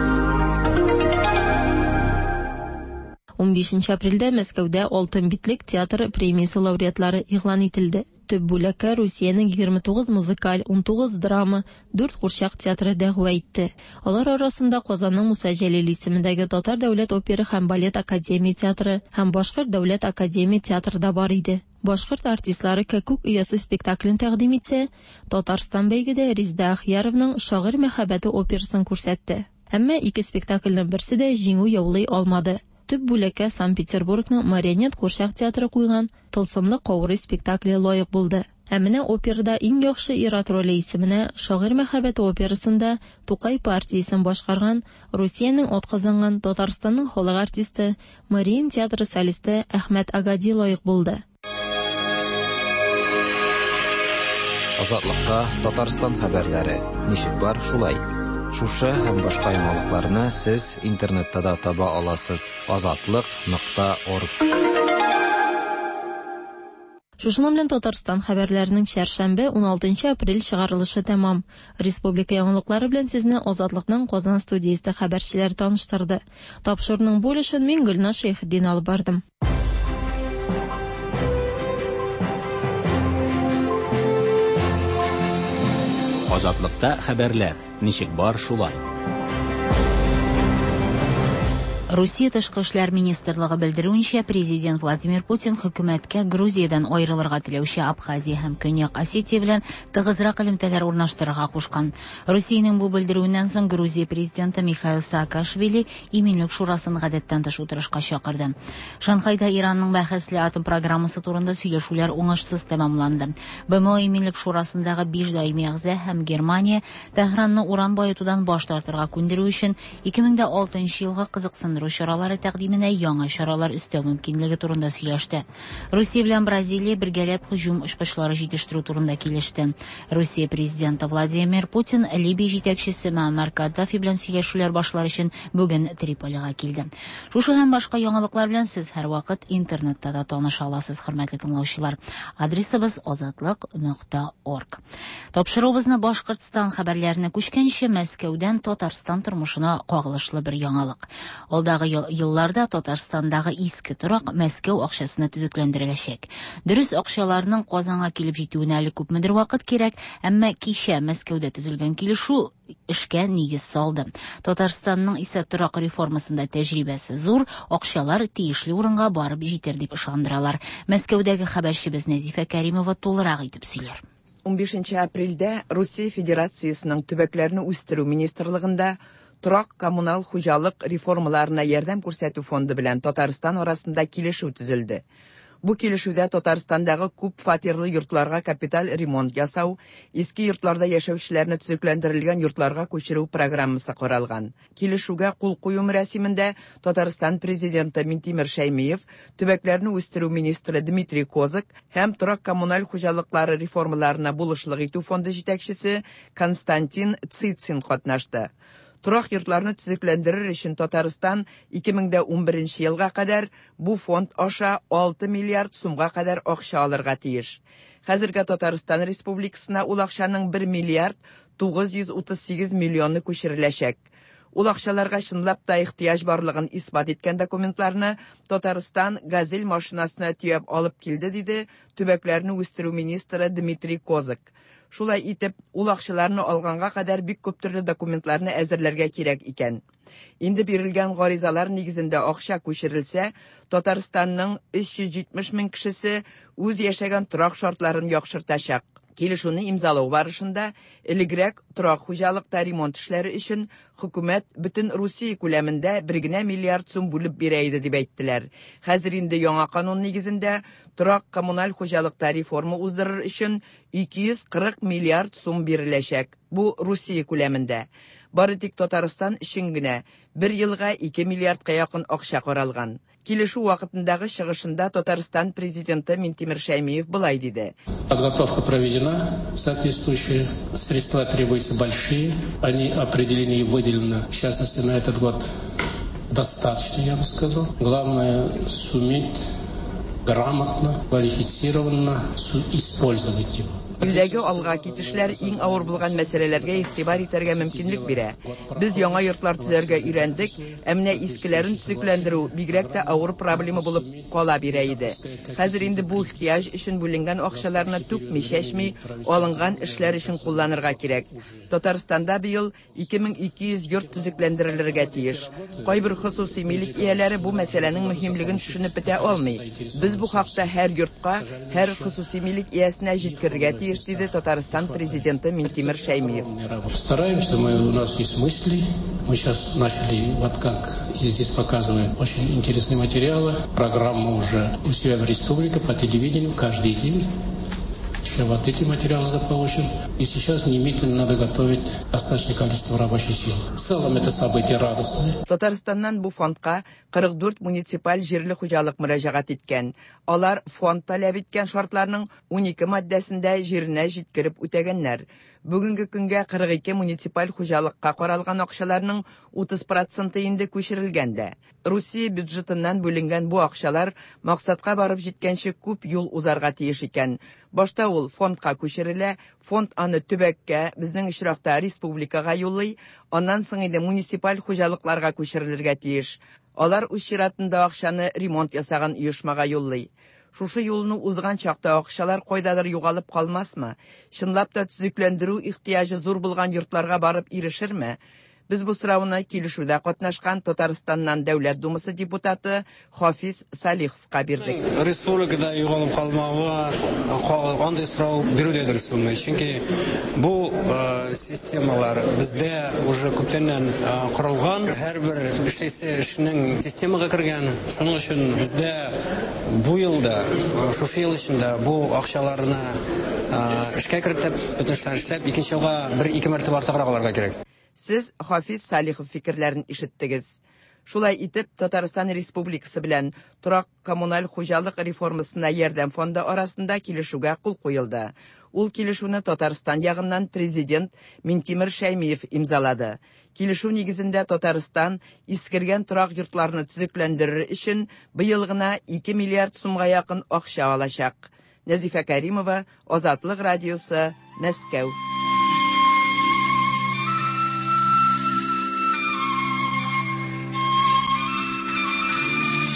15 апрельдә Мәскәүдә Алтын битлек театры премиясе лауреатлары игълан ителде. Төп бүләккә Русиянең 29 музыкаль, 19 драма, 4 курчак театры дәгъва итте. Алар арасында Казанның Муса Җәлил исемендәге Татар дәүләт опера һәм балет академия театры һәм Башкорт дәүләт академия театры да бар иде. Башкорт артистлары Кәккүк оясы спектаклен тәкъдим итсә, Татарстан бәйгедә Резеда Ахияровның Шагыйрь мәхәббәте операсын күрсәтте. Әмма ике спектакльнең берсе дә җиңү яулый алмады. Төп бүләккә Санкт-Петербургның Марионет курчак театры куйган Тылсымлы каурый спектакле лаек булды. Ә менә операда иң яхшы ир-ат роле исеменә Шагыйрь мәхәббәте операсында Тукай партиясен башкарган Русиянең атказанган Татарстанның халык артисты, Мариин театры солисты Әхмәт Агади лаек булды. Азатлыкта Татарстан хәбәрләре. Ничек бар, шулай. Шушы һәм башка яңалыкларны сез интернетта да таба аласыз: азатлык.орг. Шушының белән Татарстан хәбәрләренең чәршәмбе, 16 апрель чыгарылышы тәмам. Республика яңалыклары белән сезне Азатлыкның Казан студиясе хәбәрчеләре таныштырды. Тапшыруның бу өлешен мин Гөлназ Шәйхетдин алып бардым. Азатлыкта хәбәрләр. Ничек бар, шулай. Русия тышкы эшләр министрлыгы белдерүенчә, президент Владимир Путин хөкүмәткә Грузиядән аерылырга теләүче Абхазия һәм Көньяк Осетия белән тыгызрак элемтәләр урнаштырырга кушкан. Русиянең бу белдерүеннән соң Грузия президенты Михаил Саакашвили Иминлек шурасын гадәттән тыш утырышка чакырды. Шанхайда Иранның бәхәсле атом программасы турында сөйләшүләр уңышсыз тәмамланды. БМО Иминлек шурасындагы биш даими әгъза һәм Германия Тәһранны уран баетудан баш тартырга күндерү өчен 2006 елгы кызыксындыру чаралары тәкъдименә яңа чаралар өстәү мөмкинлеге турында сөйләште. Русия белән Бразилия бергәләп һөҗүм очкычлары җитештерү турында килеште. Русия президенты Владимир Путин Либия җитәкчесе Муаммар Каддафи белән сөйләшүләр башлар өчен бүген Триполига килде. Шушы һәм башка яңалыклар белән сез һәрвакыт интернетта да таныша аласыз, хөрмәтле тыңлаучылар. Адресыбыз азатлык.орг. Тапшыруыбызны Башкортстан хәбәрләренә күчкәнче, Мәскәүдән Татарстан тормышына кагылышлы бер яңалык. Алда Алдагы елларда Татарстандагы иске торак Мәскәү акчасына төзекләндереләчәк. Дөрес, акчаларның Казанга килеп җитүенә әле күпмедер вакыт кирәк, әмма кичә Мәскәүдә төзелгән килешү эшкә нигез салды. Татарстанның исә торак реформасында тәҗрибәсе зур, акчалар тиешле урынга барып җитер дип ышандыралар. Мәскәүдәге хәбәрчебез Нәзифә Кәримова тулырак итеп сөйләр. 15 апрельдә Русия Федерациясенең төбәкләрне үстерү министрлыгында торак-коммуналь хуҗалык реформаларына ярдәм күрсәтү фонды белән Татарстан арасында килешү төзелде. Бу килешүдә Татарстандагы күп фатирлы йортларга капиталь ремонт ясау, иске йортларда яшәүчеләрне төзекләндерелгән йортларга күчерү программасы каралган. Килешүгә кул кую мөрәсимендә Татарстан Президенты Минтимер Шәймиев, төбәкләрне үстерү министры Дмитрий Козак һәм торак-коммуналь хуҗалыклары реформаларына булышлык итү фонды җитәкчесе Константин Цицин катнашты. Торак йортларны төзекләндерер өчен Татарстан 2011 елга кадәр бу фонд аша 6 миллиард сумга кадәр акча алырга тиеш. Хәзергә Татарстан Республикасына ул акчаның 1 миллиард 938 миллионы күчереләчәк. Ул акчаларга чынлап та ихтыяҗ барлыгын исбат иткән документларны Татарстан «Газель» машинасына төяп алып килде, диде төбәкләрне үстерү министры Дмитрий Козак. Шулай итеп, ул акчаларны алганга кадәр бик күп төрле документларны әзерләргә кирәк икән. Инде бирелгән гаризалар нигезендә акча күчерелсә, Татарстанның 370 мең кешесе үз яшәгән торак шартларын яхшыртачак. Килешүне имзалау барышында элегрәк торак хуҗалыкта ремонт эшләре өчен хөкүмәт бөтен Русия күләмендә бер генә миллиард сум бүлеп бирә иде дип әйттеләр. Хәзер инде яңа канун нигезендә торак коммуналь хуҗалыкта реформа уздырыр өчен 240 миллиард сум биреләчәк. Бу Русия күләмендә. Бары тик Татарстан өчен генә бер елга 2 миллиардка якын акча каралган. Килешү вакытындагы чыгышында Татарстан президенты Минтимер Шәймиев болай диде. Подготовка проведена, соответствующие средства требуются большие. Они определены и выделены, в частности, на этот год достаточно, я бы сказал. Главное суметь грамотно, квалифицированно использовать его. Илдәге алга китешләр иң авыр булган мәсьәләләргә игътибар итәргә мөмкинлек бирә. Без яңа йортлар төзәргә өйрәндек, ә менә искеләрен төзекләндерү бигрәк тә авыр проблема булып кала бирә иде. Хәзер инде бу ихтыяҗ өчен бүленгән акчаларны түкми-чәчми алынган эшләр өчен кулланырга кирәк. Татарстанда быел 2200 йорт төзекләндерелергә тиеш. Кайбер хосусый милек ияләре бу мәсьәләнең мөһимлеген төшенеп бетә алмый. Без бу хакта һәр йортка, һәр хосусый милек иясенә җиткерергә тиеш, диде Татарстан президенты Минтимер Шәймиев. Стараемся, мы, у нас есть мысли. Мы сейчас начали, вот как и здесь показываем, очень интересные материалы. Программа уже у себя в республике по телевидению каждый день. Еще вот эти материалы заполучим. И сейчас немедленно надо готовить достаточное количество рабочей силы. В целом это событие радостное. Татарстаннан бу фондка 44 муниципаль җирле хуҗалык мөрәҗәгать иткән. Алар фонд таләп иткән шартларның 12 маддәсендә җиренә җиткереп үтәгәннәр. Бүгенге көнгә 42 муниципаль хуҗалыкка каралган акчаларның 30% инде күчерелгән дә. Русия бюджетыннан бүленгән бу акчалар максатка барып җиткәнче күп юл узарга тиеш икән. Башта ул фондка күчерелә, фонд аны төбәккә, безнең очракта республикага юллый, аннан соң инде муниципаль хуҗалыкларга күчерелергә тиеш. Алар үз чиратында акчаны ремонт ясаган оешмага юллый. Шушы юлны узган чакта акчалар кайдадыр югалып калмасмы? Чынлап та төзекләндерү ихтыяҗы зур булган йортларга барып ирешерме? Без бу сорауны килешүдә катнашкан Татарстаннан Дәүләт Думасы депутаты Хафиз Салиховка бирдек. Республикада югалып калмавы андый сорау бирү дә дөрес булмый. Чөнки бу системалар бездә уже күптәннән корылган, һәрбер эшлисе эшнең системага кергән. Шуның өчен бездә бу елда, шушы ел эчендә бу акчаларны эшкә кертеп, бөтен эшләрне эшләп, икенче елга бер-ике мәртәбә артыграк алырга кирәк. Сез Хафиз Салихов фикерләрен ишеттегез. Шулай итеп, Татарстан Республикасы белән торак коммуналь хуҗалык реформасына ярдәм фонды арасында килешүгә кул куелды. Ул килешүне Татарстан ягыннан президент Минтимер Шәймиев имзалады. Килешү нигезендә Татарстан искергән торак йортларны төзекләндерер өчен быел гына 2 миллиард сумга якын акча алачак. Нәзифә Кәримова, Азатлык радиосы, Мәскәү.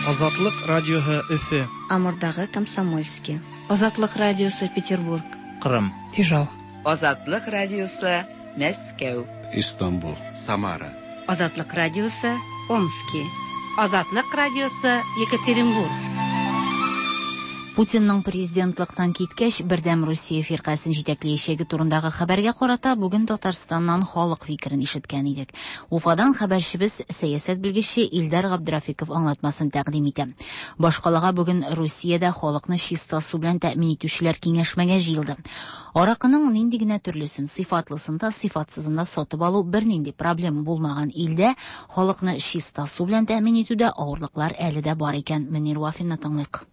Азатлык радиоһы Өфе. Амурдагы Комсомольский. Азатлык радиосы Петербург. Кырым. Ижау. Азатлык радиосы Мәскәү. Истанбул. Самара. Азатлык радиосы Омски. Азатлык радиосы Екатеринбург. Путинның президентлыктан киткәч, Бердәм Русия фиркасен җитәкләячәге турындагы хәбәргә карата бүген Татарстаннан халык фикерен ишеткән идек. Уфадан хәбәрчебез сәясәт белгече Илдар Габдрафиков аңлатмасын тәкъдим итә. Башкалага бүген Русиядә халыкны чиста су белән тәэмин итүчеләр киңәшмәгә җыелды. Аракының нинди генә төрлесен, сыйфатлысын да, сыйфатсызын да сатып алу бернинди проблема булмаган илдә халыкны чиста су белән тәэмин итүдә авырлыклар әле дә бар икән. Мөнир Вафинны тыңлыйк.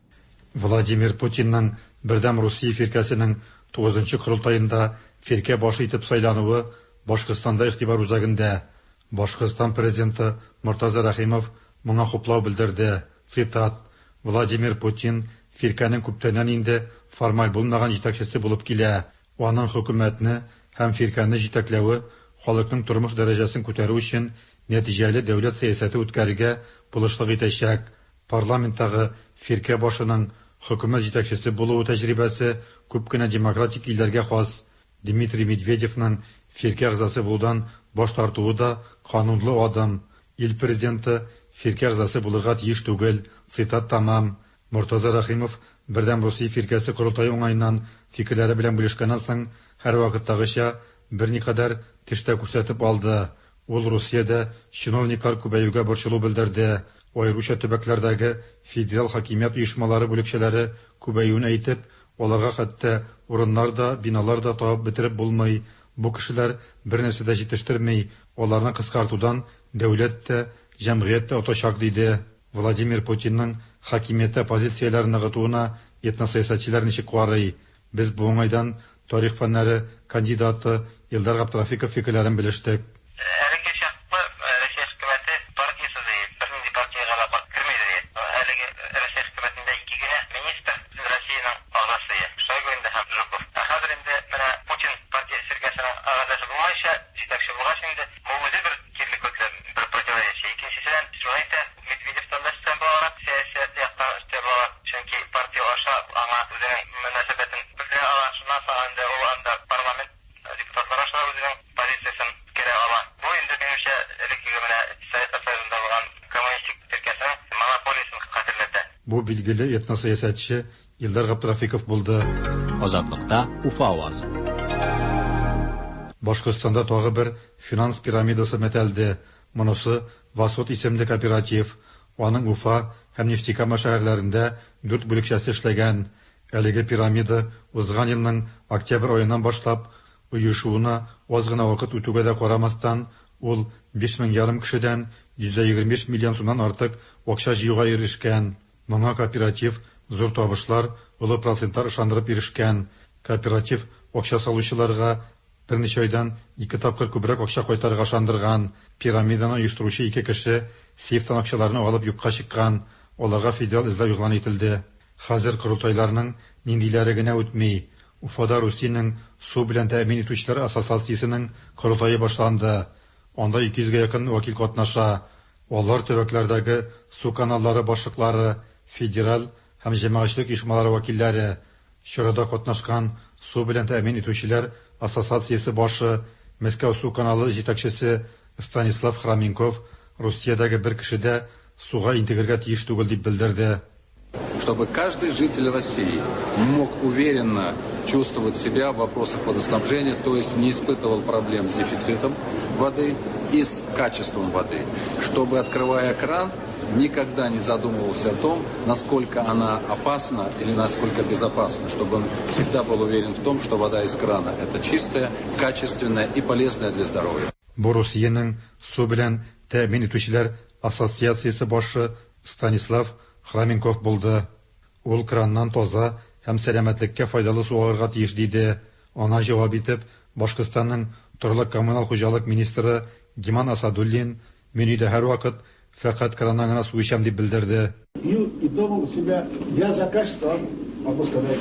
Владимир Путинның Бердәм Русия фиркәсенең 9нчы корылтаенда фиркә башы итеп сайлануы Башкортстанда игътибар үзәгендә. Башкортстан президенты Мортаза Рәхимов моңа хуплау белдерде. Цитат: Владимир Путин фиркәнең күптәннән инде формаль булмаган җитәкчесе булып килә. Аның хөкүмәтне һәм фиркәне җитәкләве халыкның тормыш дәрәҗәсен күтәрү өчен нәтиҗәле дәүләт сәясәте үткәрергә булышлык итәчәк. Парламенттагы фиркә башының хөкүмәт җитәкчесе булуы тәҗрибәсе күп кенә демократик илләргә хас. Дмитрий Медведевның фиркә әгъзасы булудан баш тартуы да канунлы адым. Ил президенты фиркә әгъзасы булырга тиеш түгел. Цитат тәмам. Мортаза Рәхимов Бердәм Русия фиркәсе корылтае уңаеннан фикерләре белән бүлешкәннән соң, һәрвакыттагыча берникадәр теш тә күрсәтеп алды. Ул Русиядә чиновниклар күбәюгә борчылу белдерде. Аеруча төбәкләрдәге федераль хакимият оешмалары бүлекчәләре күбәюен әйтеп, аларга хәтта урыннар да, биналар да табып бетереп булмый. Бу кешеләр бернәрсә дә җитештерми, аларны кыскартудан дәүләт тә, җәмгыять тә отачак, диде. Владимир Путинның хакимияттә позицияләрен ныгытуына этносәясәтчеләр ничек карый? Без бу уңайдан тарих фәннәре кандидаты Илдар Габдрафиков фикерләрен белештек. Әлеге чаклы Россия хөкүмәте партиясе ди, бернинди партиягә дә кермидер. Әлеге Россия хөкүмәтендә ике генә министр Россиянең агъзасы, Шойгу инде һәм Жуков. Ә хәзер инде менә Путин партия фиркәсенең агъзасы булмайча, җитәкче булгач инде, бу үзе бер кирелек, бер противоречие. Икенчесеннән, шуны әйтә, Медведевтан да өстен буларак, сәясәт яктан өстен була, чөнки партия аша аңа үзенең мөнәсәбәтен белдерә ала. Шуннан соң инде ул анда парламент депутатлары аша үзенең позициясен үткәрә ала. Бу инде минемчә элеккеге менә Советлар Союзында булган коммунистик фиркәсенең монополиясен хәтерләтә. Бу билгеле этносәясәтче Илдар Габдрафиков булды. Азатлыкта Уфа авазы. Башкортстанда тагы бер финанс пирамидасы мәтәлде. Монысы Восход исемле кооператив. Аның Уфа һәм Нефтекама шәһәрләрендә дүрт бүлекчәсе эшләгән. Әлеге пирамида узган елның октябрь аеннан башлап оешуына аз гына вакыт үтүгә дә карамастан, ул 5,5 мең кешедән 125 миллион сумнан артык акча җыюга ирешкән. Моңа кооператив зур табышлар, олы процентлар ышандырып ирешкән. Кооператив акча салучыларга берничә айдан ике тапкыр күбрәк акча кайтарырга ышандырган. Пирамиданы оештыручы ике кеше сейфтан акчаларны алып юкка чыккан. Аларга федераль эзләү игълан ителде. Хәзер корылтайларның ниндиләре генә үтми. Уфада Русиянең су белән тәэмин итүчеләр ассоциациясенең корылтае башланды. Анда 200гә якын вәкил катнаша. Алар төбәкләрдәге су каналлары башлыклары, федераль һәм җәмәгатьчелек оешмалары вәкилләре. Чарада катнашкан су белән тәэмин итүчеләр ассоциациясе башы, Мәскәү су каналы җитәкчесе Станислав Храменков Русиядәге бер кеше дә суга интегергә тиеш түгел дип белдерде. Чтобы каждый житель России мог уверенно чувствовать себя в вопросах водоснабжения, то есть не испытывал проблем с дефицитом воды и с качеством воды. Чтобы, открывая кран, никогда не задумывался о том, насколько она опасна или насколько безопасна, чтобы он всегда был уверен в том, что вода из крана – это чистая, качественная и полезная для здоровья. Бу Русиянең су белән тәэмин итүчеләр ассоциациясе башы Станислав Храменков булды. Ул краннан таза һәм сәламәтлеккә файдалы су алырга тиеш диде. Аңа җавап итеп, Башкортстанның торлак-коммуналь хуҗалык министры Гиман Асадуллин мин өйдә һәрвакыт фәкать краннан гына су эчәм дип белдерде. Пью и дома у себя. Я за качество могу сказать.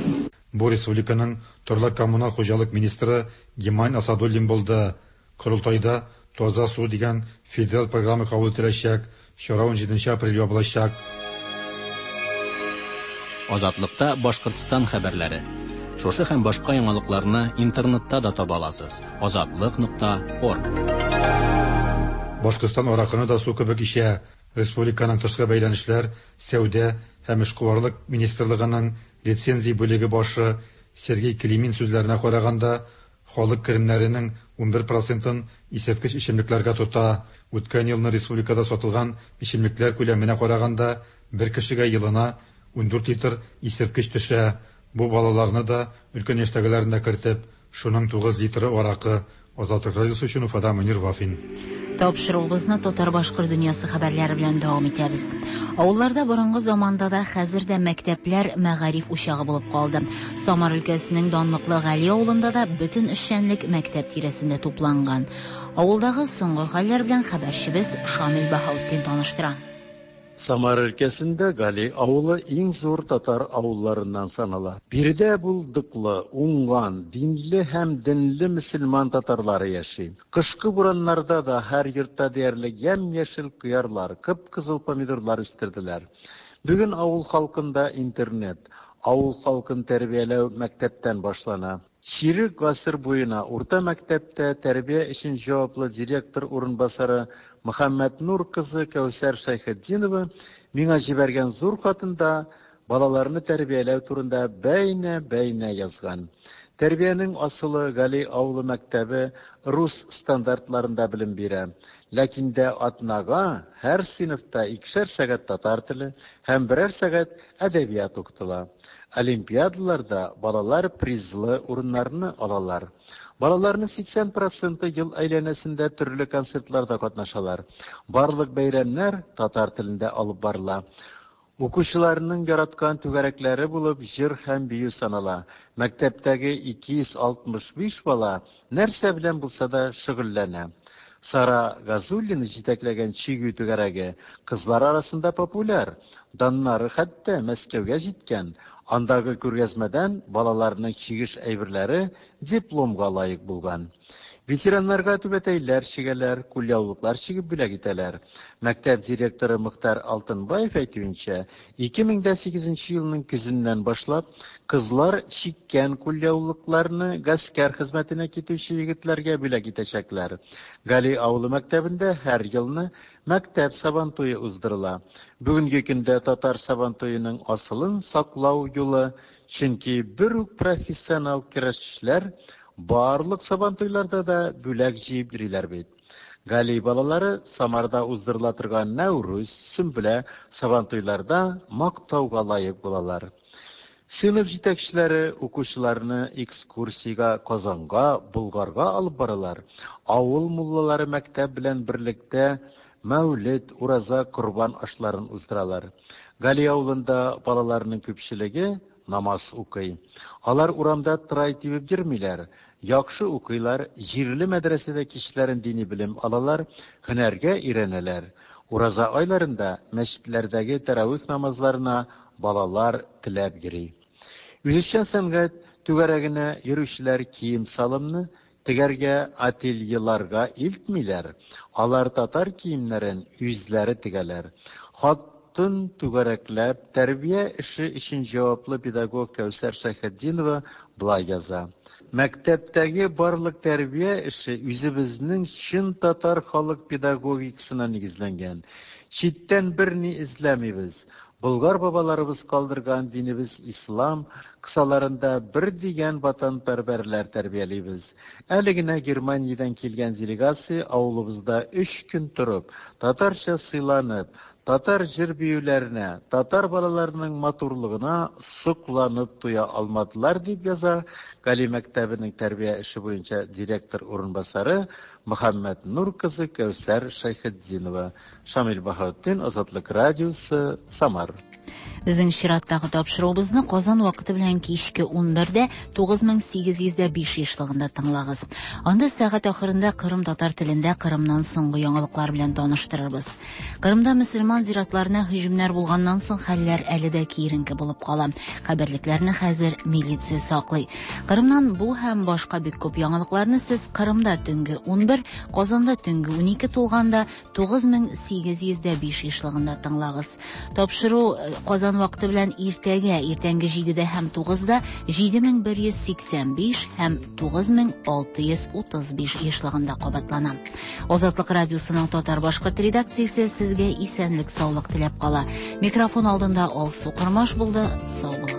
Бу республиканың торлак-коммуналь хуҗалык министры Гиман Асадуллин булды. Корылтайда Таза су дигән федераль программа кабул ителәчәк. Чара 17 апрель ябылачак. Азатлыкта Башкортстан хәбәрләре. Шушы һәм башка яңалыкларны интернетта да таба аласыз. Азатлык.орг. Башкортстан аракыны да су кебек эчә. Республиканың тышкы бәйләнешләр, сәүдә һәм эшкуарлык министрлыгының лицензия бүлеге башы Сергей Климин сүзләренә караганда, халык керемнәренең 11 процентын исерткеч эчемлекләргә тота. Үткән елны республикада сатылган эчемлекләр күләменә караганда, бер кешегә елына 14 литр исерткеч төшә. Бу балаларны да, өлкән яшьтәгеләрне дә кертеп, шуның 9 литры аракы. Азатлык радиосы өчен Уфадан Мөнир Вафин. Тапшыруыбызны татар-башкорт дөньясы хәбәрләре белән дәвам итәбез. Авылларда борынгы заманда да, хәзер дә мәктәпләр мәгариф учагы булып калды. Самар өлкәсенең данлыклы Гали авылында да бөтен эшчәнлек мәктәп тирәсендә тупланган. Авылдагы соңгы хәлләр белән хәбәрчебез Шамил Баһаутдин таныштыра. Самар өлкәсендә Гали авылы иң зур татар авылларыннан санала. Биредә булдыклы, уңган, динле һәм денле мөселман татарлары яши. Кышкы бураннарда да һәр йортта диярлек ямь-яшел кыярлар, кып-кызыл помидорлар үстерделәр. Бүген авыл халкында интернет. Авыл халкын тәрбияләү мәктәптән башлана. Чирек гасыр буена урта мәктәптә тәрбия өчен җаваплы директор урынбасары Мөхәммәтнур кызы Кәүсәр Шәйхетдинова миңа җибәргән зур хатында балаларны тәрбияләү турында бәйнә-бәйнә язган. Тәрбиянең асылы Гали авылы мәктәбе рус стандартларында белем бирә. Ләкин дә атнага һәр сыйныфта икешәр сәгать татар теле һәм берәр сәгать әдәбият укытыла. Олимпиадаларда балалар призлы урыннарны алалар. Балаларның 80 проценты ел әйләнәсендә төрле концертларда катнашалар. Барлык бәйрәмнәр татар телендә алып барыла. Укучыларның яраткан түгәрәкләре булып җыр һәм бию санала. Мәктәптәге 265 бала нәрсә белән булса да шөгыльләнә. Сара Газуллина җитәкләгән чигү түгәрәге кызлар арасында популяр. Даннары хәтта Мәскәүгә җиткән. Андагы күргәзмәдән балаларның чигеш әйберләре дипломга лаек булган. Ветераннарга түбәтәйләр чигәләр, кулъяулыклар чигеп бүләк итәләр. Мәктәп директоры Мөхтәр Алтынбаев әйтүенчә, 2008 нче елның көзеннән башлап, кызлар чиккән кулъяулыкларны гаскәр хезмәтенә китүче егетләргә бүләк итәчәкләр. Гали авылы мәктәбендә һәр елны мәктәп Сабантуе уздырыла. Бүгенге көндә татар Сабантуеның асылын саклау юлы, чөнки бер үк профессионал көрәшчеләр барлык Сабантуйларда да бүләк җыеп йөриләр бит. Гали балалары Самарда уздырыла торган Нәүрүз, Сөмбелә Сабантуйларда мактауга лаек булалар. Сыйныф җитәкчеләре укучыларны экскурсиягә Казанга, Болгарга алып баралар. Авыл муллалары мәктәп белән берлектә Мәүлед, Ураза, Корбан ашларын уздыралар. Гали авылында балаларның күпчелеге намаз укый. Алар урамда трай тибеп йөрмиләр, яхшы укыйлар, җирле мәдрәсәдә кичләрен дини белем алалар, һөнәргә өйрәнәләр. Ураза айларында мәчетләрдәге тәравих намазларына балалар теләп йөри. Үзешчән сәнгать түгәрәгенә йөрүчеләр кием-салымны тегәргә ательеларга илтмиләр, алар татар киемнәрен үзләре тегәләр. Хатын түгәрәкләп, тәрбия эше өчен җаваплы педагог Кәүсәр Шәйхетдинова болай яза, Мәктәптәге барлык тәрбия эше үзебезнең чын татар халык педагогикасына нигезләнгән. Читтән берни эзләмибез. Болгар бабаларыбыз калдырган динебез ислам кысаларында бер дигән ватанпәрвәрләр тәрбиялибез. Әле генә Германиядән килгән делегация авылыбызда өч көн торып, татарча сыйланып, татар җыр-биюләренә, татар балаларының матурлыгына сокланып туя алмадылар, дип яза Гали мәктәбенең тәрбия эше буенча директор урынбасары Мөхәммәтнур кызы Кәүсәр Шәйхетдинова. Шамил Баһаутдин, Азатлык радиосы, Самар. Безнең чираттагы тапшыруыбызны Казан вакыты белән кичке 11-дә 9805 ешлыгында тыңлагыз. Анда сәгать ахырында Кырым татар телендә Кырымнан соңгы яңалыклар белән таныштырырбыз. Кырымда мөселман зиратларына һөҗүмнәр булганнан соң хәлләр әле дә киеренке булып кала. Каберлекләрне хәзер милиция саклый. Кырымнан бу һәм башка бик күп яңалыкларны сез Кырымда төнге 11, Казанда төнге 12 тулганда 9805 ешлыгында тыңлагыз. Тапшыру э, Казан Казан вакыты белән иртәгә, иртәнге 7-дә һәм 9-да 7185 һәм 9635 ешлыгында кабатлана. Азатлык радиосының татар-башкорт редакциясе сезгә исәнлек-саулык теләп кала. Микрофон алдында Алсу Кормаш булды. Сау булыгыз.